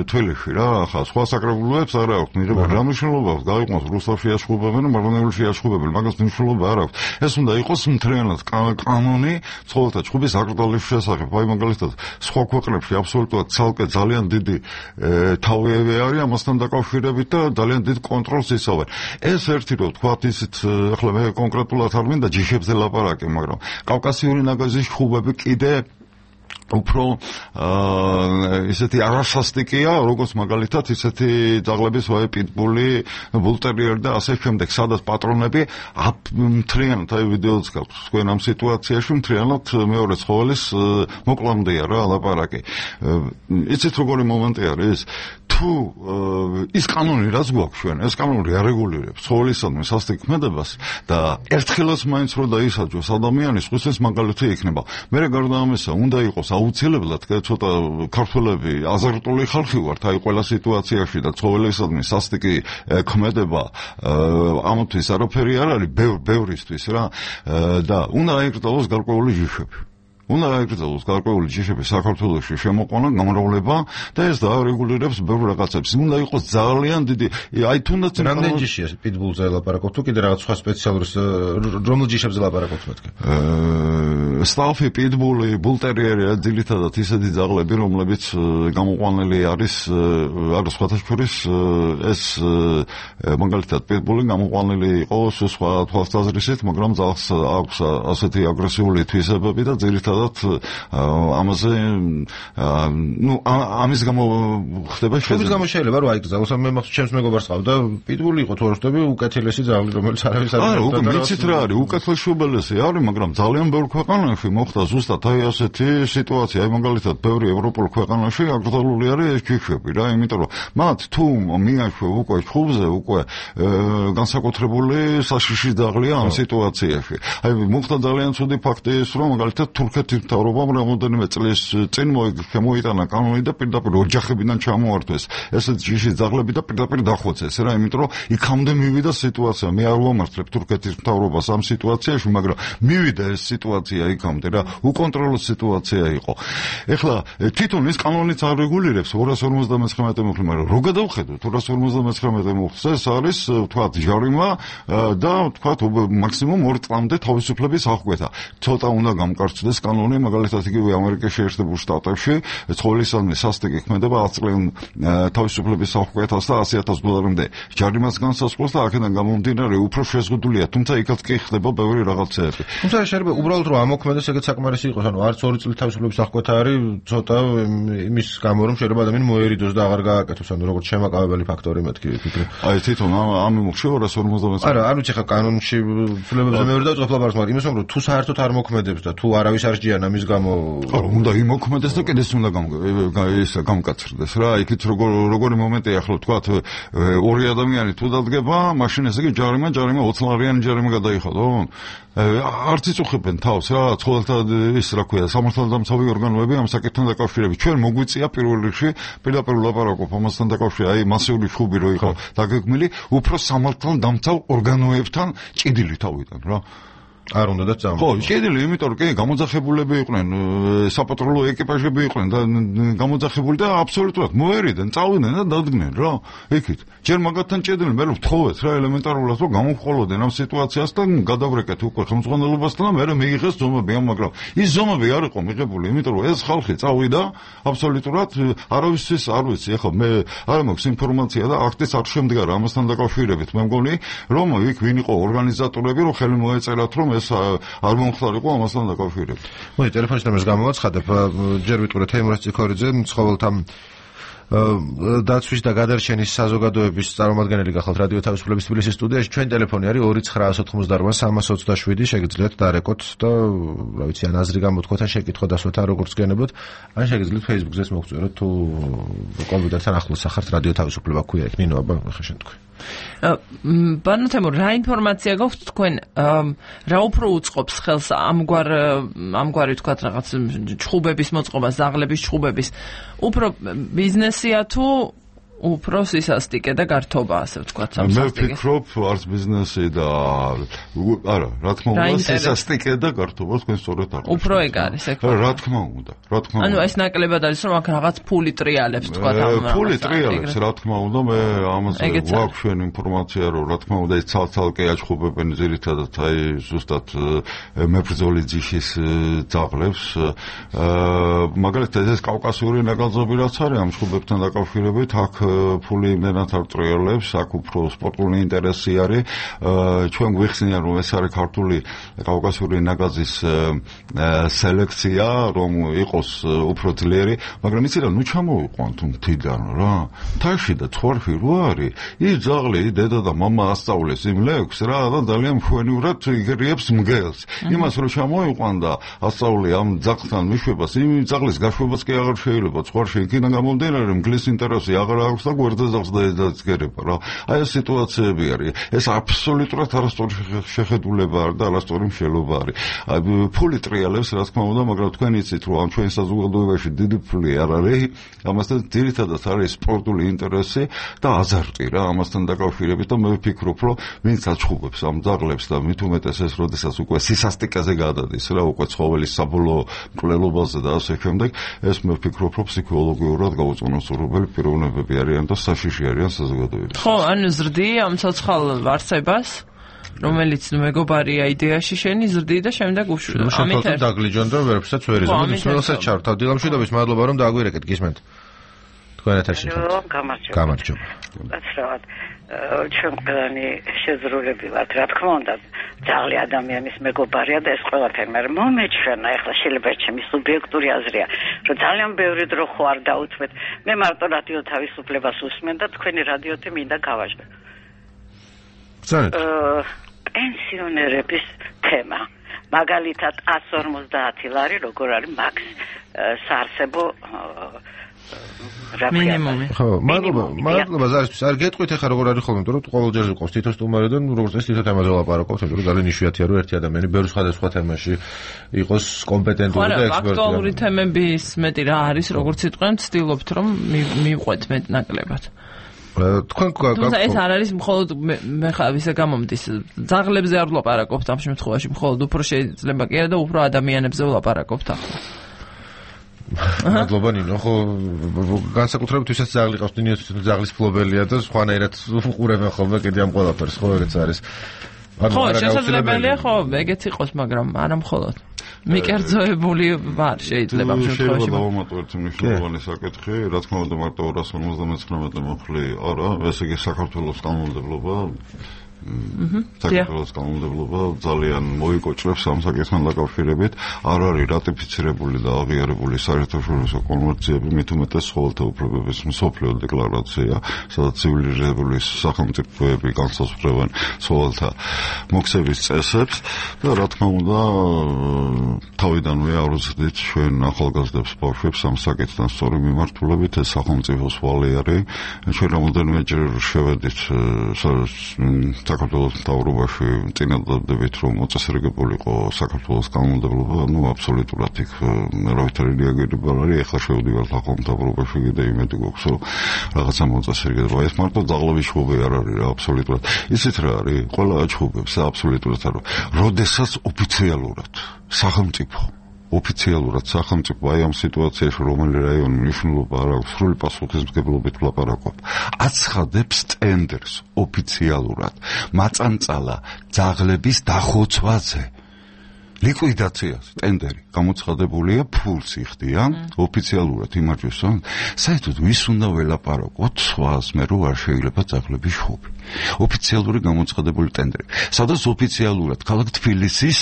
თველში რა, ახლა სხვა საკრებულოებს არ აქვს მიღება რა მნიშვნელობა აქვს გაიყვანოს რუსთავში აშხუბებენ, მარგონეულში აშხუბებენ, მაგას მნიშვნელობა არ აქვს. ეს უნდა იყოს მთლიანად კანონი ცხოველთა ჩხუბის აკრძალვის შესახებ. აი მაგალითად სხვა ქვეყნებში აბსოლუტურად ცალკე ძალიან დიდი თავები არის ამასთან დაკავშირებით და ძალიან დიდ კონტროლს იცავენ. ეს ერთი რომ თქვათ ისეთ ახლა მე კონკრეტულად არ მინდა ჯიშებზე ლაპარაკი, მაგრამ კავკასიური ნაგაზის ჩხუბები კიდე უფრო ისეთი არასასტიკია, როგორც მაგალითად ისეთი ძაღლების ვაი პიტბული, ბულტერიერი და ასე შემდეგ, სადაც პატრონები მთლიანად აი ვიდეოც გაქვს თქვენ ამ სიტუაციაში მთლიანად მეორე ცხოველის მოკლამდეა რა ლაპარაკი. იცით როგორი მომენტი არის? თუ ის კანონი რაც გვაქვს ჩვენ, ეს კანონი არეგულირებს ცხოველისადმი სასტიკ ქმედებას და ერთხელაც მაინც რო დაისაჯოს ადამიანის ხუსის მაგალითი იქნება. მე გარდა ამისა უნდა იყოს აუცილებლად ცოტა ქართველები აზარტული ხალხი ვართ აი ყველა სიტუაციაში და ცხოველისადმი სასტიკი ქმედება ამათთვის არაფერი არ არის ბევრისთვის რა და უნდა აიკრძალოს გარკვეული ჯიშები. უნდა აიკრძალოს გარკვეული ჯიშები საქართველოში შემოყვანა გამრავლება და ეს დაარეგულირებს ბევრ რაღაცებს. უნდა იყოს ძალიან დიდი აი თუნდაც რამდენი ჯიშია პიტბულზე ლაპარაკობ თუ კიდე რაღაც სხვა სპეციალური რომელ ჯიშებზე ლაპარაკობთ მეთქე? სტალფი, პიტბული, ბულტერიერი ძირითადად ისეთი ძაღლები რომლებიც გამოყვანილი არის სხვათა შორის ეს მაგალითად პიტბული გამოყვანილი იყო სხვა თვალსაზრისით, მაგრამ ძაღლს აქვს ასეთი აგრესიული თვისებები და ძირითადად ამაზე ამის გამო ხდება შეძენა. ამის გამო შეიძლება რომ აიკრძალოს, მე მახსოვს ჩემს მეგობარს ყავდა პიტბული იყო თუ არ ვხდები უკეთილესი ძაღლი რომელიც არავის არ არა უკვე მიცით რა არის უკეთილესი უბელესი არის, მაგრამ ძალიან ბევრ ქვეყანაში მოხდა ზუსტად აი ასეთი სიტუაცია. აი მაგალითად ბევრი ევროპულ ქვეყანაში აკრძალული არის ეს ჯიშები რა, იმიტომ რომ მათ თუ მიაშვე უკვე ჩხუბზე უკვე განსაკუთრებული საშიში ძაღლია ამ სიტუაციაში. აი მოხდა ძალიან ცუდი ფაქტი ის რომ მაგალითად თურქეთის მთავრობამ რამოდენიმე წლის წინ მოიტანა კანონი და პირდაპირ ოჯახებიდან ჩამოართვეს ესეთ ჯიშის ძაღლები და პირდაპირ დახოცეს რა, იმიტომ რომ იქამდე მივიდა სიტუაცია. მე არ ვამართლებ თურქეთის მთავრობას ამ სიტუაციაში, მაგრამ მივიდა ეს სიტუაცია იქამდე რა, უკონტროლო სიტუაცია იყო. ეხლა თვითონ ეს კანონიც არ რეგულირებს 259 მუხლი, მაგრამ რო გადავხედოთ 259 მუხლს ეს არის თქვათ ჟარიმა და თქვათ მაქსიმუმ 2 წლამდე თავისუფლების აღკვეთა. ცოტა უნდა გამკარჩდეს კანონი, მაგალითად იგივე ამერიკაში შეერთებულ შტატებში ცხოველისადმი სასტიკი ქმედება 10 წლიან თავისუფლების აღკვეთას და $100,000-მდე ჯარიმას განსაზღვრავს და აქედან გამომდინარე უფრო შეზღუდულია, თუმცა იქაც კი ხდება ბევრი რაღაცეები. თუმცა შეიძლება უბრალოდ რომ ამოქმედოს ეგეც საკმარისი იყოს, ანუ არც 2 წლის თავისუფლების აღკვეთა არის ცოტა იმის გამო რომ შეიძლება ადამიანი მოერიდოს და აღარ გააკეთოს, ანუ როგორც შემაკავებელი ფაქტორი მეთქი ვფიქრე. აი თვითონ ამ მუხში 259. არა, არ ვიცი ხა კანონში ცვლილებებზე მე ვერ დავწყობ ლაპარაკს, მაგრამ იმას რომ თუ საერთოდ არ მოქმედებს და თუ არავის არ შეჯიან ამის გამო უნდა იმოქმედეს და კიდეც უნდა გამკაცრდეს რა. იქით როგორი მომენტია ახლა თქვათ ორი ადამიანი თუ დადგება, მაშინ ესე იგი ჯარიმა 20 ჯარიმა გადაიხადო. არც იწუხებენ თავს რა ცხოველთა ის რა ქვია სამართალდამცავი ორგანოები ამ საკითხთან დაკავშირებით. ჩვენ მოგვიწია პირველ რიგში პირდაპირ ლაპარაკობ ამასთან დაკავშირებით, აი მასიური ხუბი რო იყო დაგეგმილი უფრო სამართალდამცავ ორგანოებთან ჭიდილი თავიდან რა. არ უნდა და წამო. ხო, ჭიდილი, იმიტომ რომ კი გამოძახებულები იყვნენ, საპატრულო ეკიპაჟები იყვნენ და გამოძახებული და აბსოლუტურად მოერიდნენ, წავიდნენ და დადგნენ რა. იქით. ჯერ მაგათთან ჭიდილი, მე ვთხოვეთ რა ელემენტარულად რომ გამოვყოლოდნენ ამ სიტუაციას და გადავრეკეთ უკვე ხელმძღვანელობასთან და მე მიიღეს ზომები, მაგრამ ის ზომები არ იყო მიღებული, იმიტომ რომ ეს ხალხი წავიდა აბსოლუტურად არავისთვის არ ვიცი, ახლა მე არ მაქვს ინფორმაცია და აქტიც არ შემდგარა ამასთან დაკავშირებით. მე მგონი რომ იქ ვინ იყო ორგანიზატორები, რომ ხელი მოეწერათ რომ ეს არ მომხდარიყო ამასთან დაკავშირებით. მოდი ტელეფონის ნომერს გამოვაცხადებ. ჯერ ვიტყურე თეიმურაზ ციქორიძე, ცხოველთა დაცვის და გადარჩენის საზოგადოების წარმომადგენელი გახალთ რადიო თავისუფლების თბილისის სტუდიაში. ჩვენ ტელეფონი არის 2988 327 შეგიძლიათ დარეკოთ და რა ვიცი ან აზრი გამოთქვათ ან შეკითხვა დასვათ არ როგორც გენებოთ ან შეგიძლიათ Facebook-ზეც მოგწვიოთ თუ კომპიუტერთან ახლოს ახართ რადიო თავისუფლება ქვია იქ ნინო აბა ხა შენ თქვი. ბანო თემო რა ინფორმაცია გაქვთ თქვენ რა უფრო უწყობს ხელს ამგვარი თქვათ რაღაც ჩხუბების მოწყობა ზაღლების ჩხუბების უფრო ბიზნესია თუ უფრო სისასტიკე და გართობა ასე ვთქვათ მე სამსასტიკე. ვფიქრობ არც ბიზნესი და არა რა თქმა უნდა სისასტიკე და გართობა თქვენ სწორად არ უფრო ეგ არის ეგ რა თქმა უნდა ანუ ეს ნაკლებად არის რომ აქ რაღაც ფული ტრიალებს ვთქვათ ამ ფული ტრიალებს რა თქმა უნდა მე ამაზე გვაქვს ჩვენ ინფორმაცია რომ რა თქმა უნდა ეს ცალ-ცალკე აჩხუბებენ ძირითადად აი ზუსტად მებრძოლი ძიშის ძაღლებს მაგალითად ეს კავკასიური ნაგაზები რაც არის ამ ჩხუბებთან დაკავშირებით აქ ფული იმდენად არ ტრიალებს, აქ უფრო სპორტული ინტერესი არის. ჩვენ გვიხსნიან რომ ეს არის ქართული კავკასიური ნაგაზის სელექცია, რომ იყოს უფრო ძლიერი, მაგრამ იცი რა, ნუ ჩამოვიყვანთ მთიდან რა. თაში და თვარში რო არის, ის ძაღლი დედა და მამა ასწავლეს იმ ლექს რა და ძალიან მშვენივრად იგერიებს მგელს. იმას რომ ჩამოვიყვან და ასწავლე ამ ძაღლთან მიშვებას, იმ ძაღლის გაშვებაც კი აღარ შეიძლება. თვარში იქიდან გამომდინარე მგლის ინტერესი აღარ აქვს და გვერდზე ზავს და ეძგერება რა. აი ეს სიტუაციები არის. ეს აბსოლუტურად არასწორი შეხედულება არის და არასწორი მშელობა არის. აი ფული ტრიალებს რა თქმა უნდა, მაგრამ თქვენ იცით რომ ამ ჩვენ საზოგადოებაში დიდი ფული არ არის. ამასთან ძირითადად არის სპორტული ინტერესი და აზარტი რა ამასთან დაკავშირებით და მე ვფიქრობ რომ ვინც აჩხუბებს ამ ძაღლებს და მით უმეტეს ეს როდესაც უკვე სისასტიკეზე გადადის რა უკვე ცხოველის საბოლოო მკვლელობაზე და ასე შემდეგ ეს მე ვფიქრობ რომ ფსიქოლოგიურად გაუწონოსურებელი პიროვნებები არიან და საშიში არიან საზოგადოებაში. ხო, ანუ ზრდი ამ ცოცხალ ვარსებას, რომელიც მეგობარია იდეაში შენი ზრდი და შემდეგ უშვილო. ამით დაგლიჯონ და ვერაფერსაც ვერ იზამოთ. მსმენელსაც ჩართავ. დილამშვიდობის მადლობა რომ დააგვირეკეთ გისმენთ. თქვენ ეთერში ხართ. გამარჯობა. გასრავად. ჩვენ ყველანი შეზრულები ვართ, რა თქმა უნდა, ძაღლი ადამიანის მეგობარია და ეს ყველაფერი, მაგრამ მომეჩვენა, ეხლა შეიძლება ჩემი სუბიექტური აზრია, რომ ძალიან ბევრი დრო ხო არ დაუთმეთ. მე მარტო რადიო თავისუფლებას უსმენ და თქვენი რადიოთი მინდა გავაჟღერ. პენსიონერების თემა. მაგალითად 150 ლარი როგორ არის მაქს საარსებო მინიმუმი. ხო, მადლობა ზარისთვის. არ გეტყვით ახლა როგორ არის ხოლმე, იმიტომ რომ ყოველჯერ იყოს თითო სტუმარი და როგორც ეს თითო თემაზე ვლაპარაკობთ, იმიტომ რომ ძალიან იშვიათია რომ ერთი ადამიანი ბევრ სხვადასხვა თემაში იყოს კომპეტენტური და ექსპერტი. აქტუალური თემების მეტი რა არის, როგორც იტყვენ, ვცდილობთ რომ მივყვეთ მეტ ნაკლებად. თქვენ თუმცა ეს არ არის მხოლოდ მე ხა ვისა გამომდის ძაღლებზე არ ვლაპარაკობთ ამ შემთხვევაში მხოლოდ უფრო შეიძლება კი არა და უფრო ადამიანებზე ვლაპარაკობთ ახლა. მადლობა ნინო, ხო განსაკუთრებით ვისაც ძაღლი ყავს, ნინო თვითონ ძაღლის ფლობელია და სხვანაირად უყურებენ ხოლმე კიდე ამ ყველაფერს, ხო ეგეც არის. ხო, შესაძლებელია ხო, ეგეც იყოს, მაგრამ არა მხოლოდ. მიკერძოებული ვარ შეიძლება ამ შემთხვევაში. შეიძლება დავამატოთ მნიშვნელოვანი საკითხი, რა თქმა უნდა მარტო 259 მომხლი არა, ესე იგი საქართველოს კანონმდებლობა საქართველოს კანონმდებლობა ძალიან მოიკოჭრებს ამ საკითხთან დაკავშირებით. არ არის რატიფიცირებული და აღიარებული საერთაშორისო კონვენციები, მით უმეტეს ცხოველთა უფლებების მსოფლიო დეკლარაცია, სადაც ცივილიზებული სახელმწიფოები განსაზღვრავენ ცხოველთა მოქცევის წესებს და რა თქმა უნდა თავიდანვე აუზრდით ჩვენ ახალგაზრდებს ბავშვებს ამ საკითხთან სწორი მიმართულებით ეს სახელმწიფოს ვალი არის. ჩვენ რამოდენიმეჯერ შევედით საქართველოს მთავრობაში წინადადებით რომ მოწესრიგებულიყო საქართველოს კანონმდებლობა, ну აბსოლუტურად იქ რავითარი რეაგირება არის, ეხლა შევდივართ ახალ მთავრობაში და იმედი გვაქვს რომ რაღაცა მოწესრიგება. ეს მარტო ძაღლების შუბი არ არის რა, აბსოლუტურად. ისეთ რა არის, ყველა აჩხუბებს და აბსოლუტურად არ. როდესაც ოფიციალურად სახელმწიფო ოფიციალურად სახელმწიფო აი ამ სიტუაციაში რომელი რაიონი მნიშვნელობა არ აქვს სრული პასუხისმგებლობით ვლაპარაკობ აცხადებს ტენდერს ოფიციალურად მაწანწალა ძაღლების დახოცვაზე ლიკვიდაციას ტენდერი გამოცხადებულია ფულს იხდიან ოფიციალურად იმარჯვეს საერთოდ ვის უნდა ველაპარაკოთ სხვას მე რო არ შეიძლება ძაღლების შუბი ოფიციალური გამოცხადებული ტენდერი სადაც ოფიციალურად ქალაქ თბილისის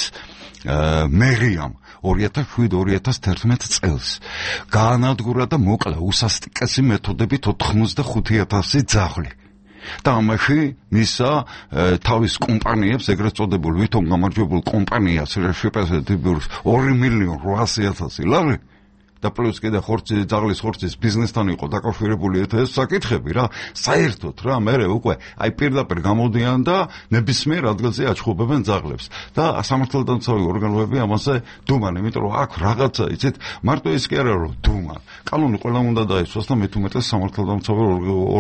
მერიამ 2007-2011 წელს გაანადგურა და მოკლა უსასტიკესი მეთოდებით 85,000 ძაღლი. და ამაში მისა თავის კომპანიებს, ეგრეთ წოდებულ ვითომ გამარჯვებულ კომპანიას შეპრეზენტებს 2,800,000 ლარი და პლუს კიდე ძაღლის ხორცის ბიზნესთან იყო დაკავშირებული ეს საკითხები რა. საერთოდ რა მე უკვე აი პირდაპირ გამოდიან და ნებისმიერ ადგილზე აჩხუბებენ ძაღლებს და სამართალდამცავი ორგანოები ამაზე დუმან, იმიტომ რომ აქ რაღაცა იცით, მარტო ის კი არა რომ დუმა. კანონი ყველა უნდა დაისვას და მით უმეტეს სამართალდამცავი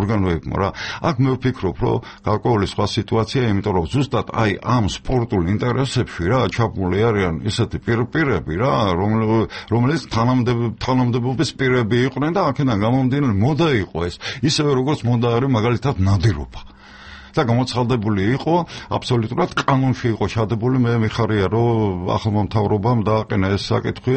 ორგანოებმა რა. აქ მე ვფიქრობ, რომ გარკვეული სხვა სიტუაცია, იმიტომ რომ ზუსტად აი ამ სპორტულ ინტერესებში რა ჩაბმული არიან ისეთი პირები რა, რომელიც თანამდებობის პირები იყვნენ და აქედან გამომდინარე მოდა იყო ეს. ისევე როგორც მოდა არის მაგალითად ნადირობა. და გამოცხადებული იყო აბსოლუტურად კანონში იყო ჩადებული. მე მიხარია რომ ახალმა მთავრობამ დააყენა ეს საკითხი.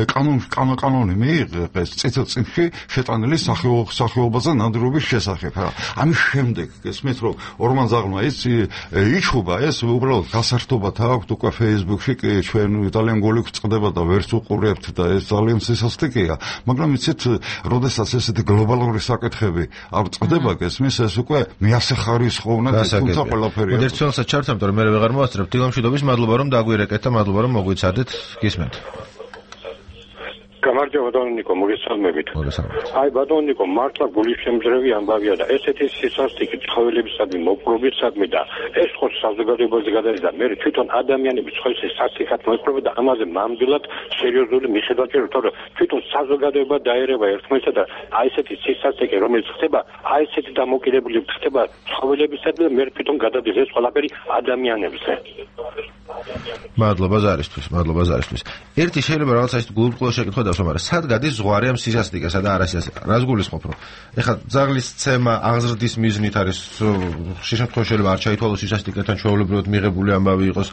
კანონი მიიღეს წიწილში შეტანილი სახეობაზე ნადირობის შესახებ რა. ამის შემდეგ გესმით რომ ორმან ზაღლმა ის იჩუბა ეს უბრალოდ გასართობად აქვს უკვე Facebook-ში ჩვენ ძალიან გული გვწყდება და ვერც უყურებთ და ეს ძალიან სისასტიკეა. მაგრამ იცით, როდესაც ესეთი გლობალური საკითხები არ წყდება გესმის, ეს უკვე მეასახარისხო თუმცა ყველაფერი. ერთ ცელსაც ჩართამ, თორემ მე ვეღარ მოვასწრებ. დილამშვიდობის მადლობა რომ დაგვირეკეთ და მადლობა რომ მოგვიცადეთ. გისმენთ. გამარჯობა ბატონო ნიკო, მოგესალმებით. აი ბატონო ნიკო, მართლა გულისშემძრევი ამბავია და ესეთი სისასტიკე ცხოველებისადმი, მოპყრობისადმი და ეს ხო საზოგადოებაზე გადაიჭრა. მე თვითონ ადამიანების ცხოველის სასტიკად მოპყრობა და ამაზე მამდვილად სერიოზული მიხედვა ჭირდება, თორემ თვითონ საზოგადოება დაერევა ერთმანეთსა და აი ესეთი სისასტიკე რომელიც ხდება, აი ესეთი დამოკიდებული ხდება ცხოველებისადმი, მე თვითონ გადადის ეს ყველაფერი ადამიანებზე. მადლობა ზარისთვის. ერთი შეიძლება რაღაცა ის გულუბრყვილო შეკითხვა დავსვამ, მაგრამ სად გადის ზღვარი ამ სისასტიკესა და არასისასტიკესა? რას გულისხმობ, რომ ეხლა ძაღლის ცემა აღზრდის მიზნით არის, ხშირ შემთხვევაში შეიძლება არ ჩაითვალოს სისასტიკეთან ჩვეულებრივად მიღებული ამბავი იყოს.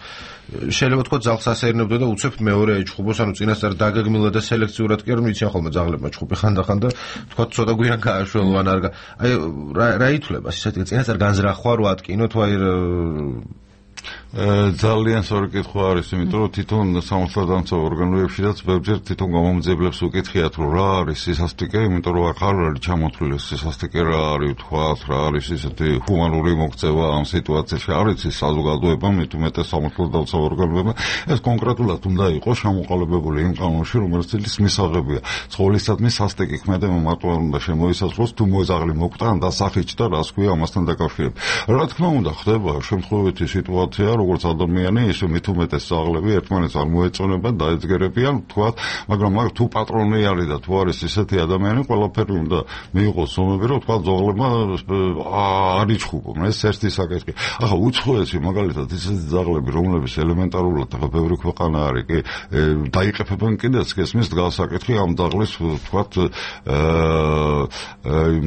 შეიძლება თქვა ძაღლს ასეირნებდა და უცებ მეორე ეჩხუბოს, ანუ წინასწარ დაგეგმილად და სელექციურად კი არ მიციან ხოლმე ძაღლებმა ჩხუბი ხანდახან და თქვა ცოტა გვიან გააშველო ან არ აი რა ითვლება სისასტიკე წინასწარ განზრახვა რო ატკინო თუ აი ძალიან სწორი კითხვა არის, იმიტომ რომ თვითონ სამართალდამცავ ორგანოებშიც ბევრჯერ თვითონ გამომძიებლებს უკითხიათ, რომ რა არის სისასტიკე, იმიტომ რომ აქ არ არის ჩამოთვლილი სისასტიკე რა არის, თქვათ რა არის ისეთი ჰუმანური მოქცევა ამ სიტუაციაში, არის ის საზოგადოება, მით უმეტეს სამართალდამცავ ორგანოებმა, ეს კონკრეტულად უნდა იყოს შემოყალიბებული იმ კანონში, რომელიც ის მისაღებია. ცხოველისადმი სასტიკი ქმედება მარტო არ უნდა შემოისაზღვროს, თუ მოძაღლი მოკვდა და სახიჭდა, რას ქვია ამასთან დაკავშირებით. რა თქმა უნდა, ხდება შემთხვევითი სიტუაცია, როგორც ადამიანი, ისე მით უმეტეს ძაღლები ერთმანეთს არ მოეწონებენ, დაეძგერებიან, თქვათ, მაგრამ თუ პატრონი არის და თუ არის ისეთი ადამიანი, ყველაფერი უნდა მიიღოს ზომები, რომ თქვათ, ძაღლებმა არ იჩხუბონ, ეს ერთი საკითხი. ახლა უცხოესი მაგალითად ისეთი ძაღლები, რომლებიც ელემენტარულად ახლა ბევრი ქვეყანა არის, კი დაიყეფებენ კიდეც გესმის გასაკითხი ამ ძაღლის, თქვათ,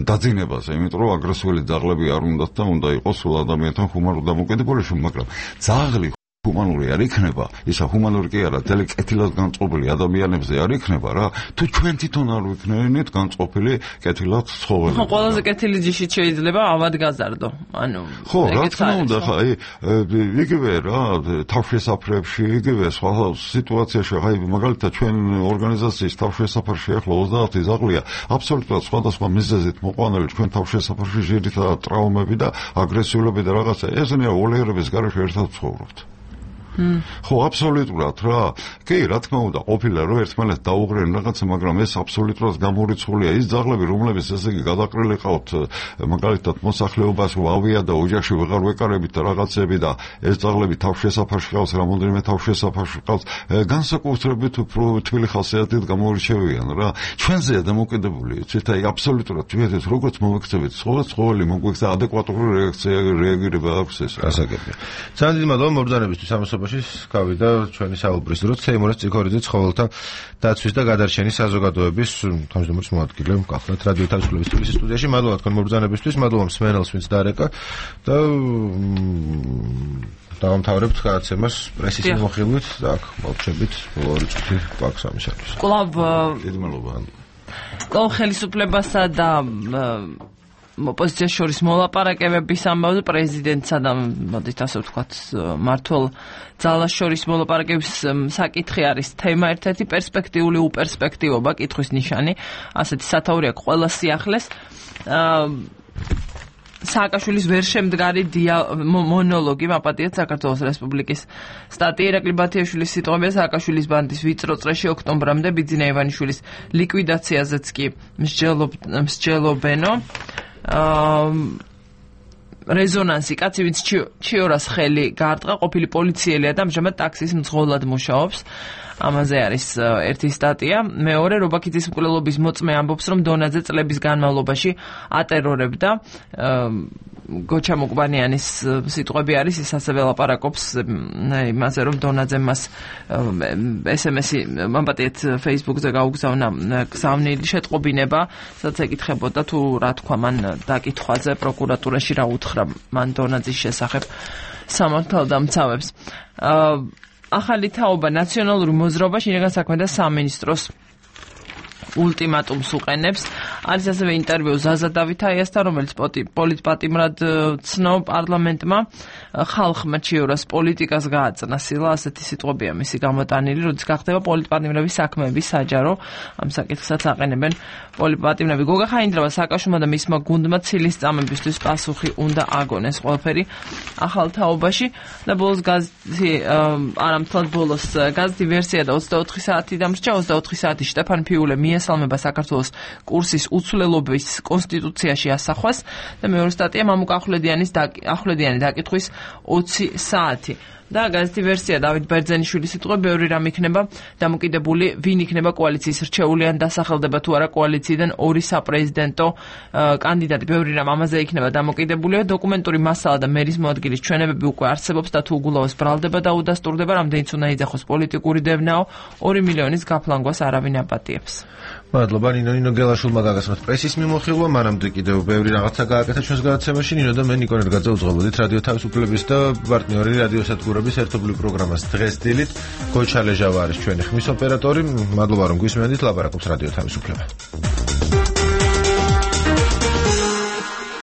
დაძინებაზე, იმიტომ რომ აგრესიული ძაღლები არ უნდათ და უნდა იყოს სულ ადამიანთან ჰუმანურ დამოკიდებული, მაგრამ ძაღლი ჰუმანური არ იქნება, ისა ჰუმანური კი არა, ძელი კეთილად განწყობილი ადამიანებზე არ იქნება რა, თუ ჩვენ თვითონ არ ვიქნებინით განწყობილი კეთილად ცხოველი. ხო, ყველაზე კეთილი ჯიშით შეიძლება ავად გაზარდო. ანუ ხო, რა თქმა უნდა, ხა, იგივე რა, თავშესაფრებში, იგივე სხვა სიტუაციაში, ხა, მაგალითად ჩვენ ორგანიზაციის თავშესაფრში ახლა 30 ძაღლია, აბსოლუტურად სხვადასხვა მიზეზით მოყვანილი ჩვენ თავშესაფრში ძირითადად ტრავმები და აგრესიულობები და რაღაცა, ესენია ოლიერების გარეშე ერთად ცხოვრობთ. ხო, აბსოლუტურად რა. კი, რა თქმა უნდა, ყოფილა რომ ერთმანეთს დაუღრენ რაღაცა, მაგრამ ეს აბსოლუტურად გამორიცხულია. ის ძაღლები, რომლებიც ესე იგი გადაყრილი ყავთ, მაგალითად მოსახლეობას ვავია და ოჯახში ვეღარ ვეკარებით და რაღაცები და ეს ძაღლები თავშესაფარში ყავს, რამოდენიმე თავშესაფარში ყავს, განსაკუთრებით უფრო თბილი ხასიათით გამორიჩევიან რა. ჩვენზეა დამოკიდებული, იცით, აი აბსოლუტურად ჩვენთვის როგორც მოვექცევით, ცხოველი მოგვექცა ადეკვატური რეაგირება აქვს ეს. გასაგებია. ძალიან დიდი მადლობა მობრძანებისთვის ამასობაში. გავიდა ჩვენი საუბრის დრო ცეიმურას წიქორიძე ცხოველთა დაცვის და გადარჩენის საზოგადოების თავმჯდომარის მოადგილე გახლავთ რადიო თავისუფლების თბილისის სტუდიაში. მადლობა თქვენ მობრძანებისთვის, მადლობა მსმენელს, ვინც დაარეკა და დავამთავრებთ გადაცემას პრესის მიმოხილვით და აქ მოვჩებით ბოლო ორი წუთი გვაქვს ამისათვის. კლავ დიდი მადლობა. კლავ ხელისუფლებასა და ოპოზიციას შორის მოლაპარაკებების ამბავზე პრეზიდენტსა და მოდით ასე ვთქვათ მართლ ძალას შორის მოლაპარაკების საკითხი არის თემა ერთ-ერთი პერსპექტიული უპერსპექტივობა კითხვის ნიშანი ასეთი სათაური აქვს ყველა სიახლეს სააკაშვილის ვერ შემდგარი მონოლოგი მაპატიეთ საქართველოს რესპუბლიკის სტატია ირაკლი ბათიაშვილის სიტყვებია სააკაშვილის ბანდის ვიწრო წრეში ოქტომბრამდე ბიძინა ივანიშვილის ლიკვიდაციაზეც კი მსჯელობენო რეზონანსი კაცი ვინც ჩიორას ხელი გაარტყა ყოფილი პოლიციელია და ამჟამად ტაქსის მძღოლად მუშაობს ამაზე არის ერთი სტატია მეორე რობაქიძის მკვლელობის მოწმე ამბობს რომ დონაძე წლების განმავლობაში ატერორებდა გოჩა მოკბანიანის სიტყვები არის ის ასევე ლაპარაკობს იმაზე რომ დონაძემ მას SMS-ი მამპატიეთ Facebook-ზე გაუგზავნა გზავნილი შეტყობინება სადაც ეკითხებოდა თუ რა თქვა მან დაკითხვაზე პროკურატურაში რა უთხრა მან დონაძის შესახებ სამართალდამცავებს ახალი თაობა ნაციონალური მოძრაობა შინაგან საქმეთა სამინისტროს ულტიმატუმს უყენებს არის ასევე ინტერვიუ ზაზა დავითაიასთან რომელიც პოლიტპატიმრად ცნო პარლამენტმა ხალხმა ჩიორას პოლიტიკას გააწნა სილა ასეთი სიტყვებია მისი გამოტანილი როდის გახდება პოლიტპატიმრების საქმეების საჯარო ამ საკითხსაც აყენებენ პოლიტპატიმრები გოგა ხაინდრავა სააკაშვილმა და მისმა გუნდმა ცილის წამებისთვის პასუხი უნდა აგონეს ყველაფერი ახალ თაობაში და ბოლოს გაზეთი არამთლად ბოლოს გაზეთი ვერსია და 24 საათი დამრჩა 24 საათი შტეფან ფიულე მიესალმება საქართველოს კურსის უცვლელობის კონსტიტუციაში ასახვას და მეორე სტატია მამუკა ახვლედიანი დაკითხვის 20 საათი და გაზეთი ვერსია დავით ბერძენიშვილის სიტყვები ბევრი რამ იქნება დამოკიდებული ვინ იქნება კოალიციის რჩეული ან დასახელდება თუ არა კოალიციიდან ორი საპრეზიდენტო კანდიდატი ბევრი რამ ამაზე იქნება დამოკიდებული დოკუმენტური მასალა და მერის მოადგილის ჩვენებები უკვე არსებობს და თუ უგულავას ბრალდება და უდასტურდება რამდენიც უნდა იძახოს პოლიტიკური დევნაო 2 მილიონის გაფლანგვას არავინ აპატიებს მადლობა ნინო გელაშვილმა გაგაცნოთ პრესის მიმოხილვა მანამდე კიდევ ბევრი რაღაცა გააკეთა ჩვენს გადაცემაში ნინო და მე ნიკო ნერგაძე უძღვებოდით რადიო თავისუფლების და პარტნიორი რადიო სადგურების ერთობლივ პროგრამას დღეს დილით გოჩა ლეჟავა არის ჩვენი ხმის ოპერატორი მადლობა რომ გვისმენთ ლაპარაკობს რადიო თავისუფლება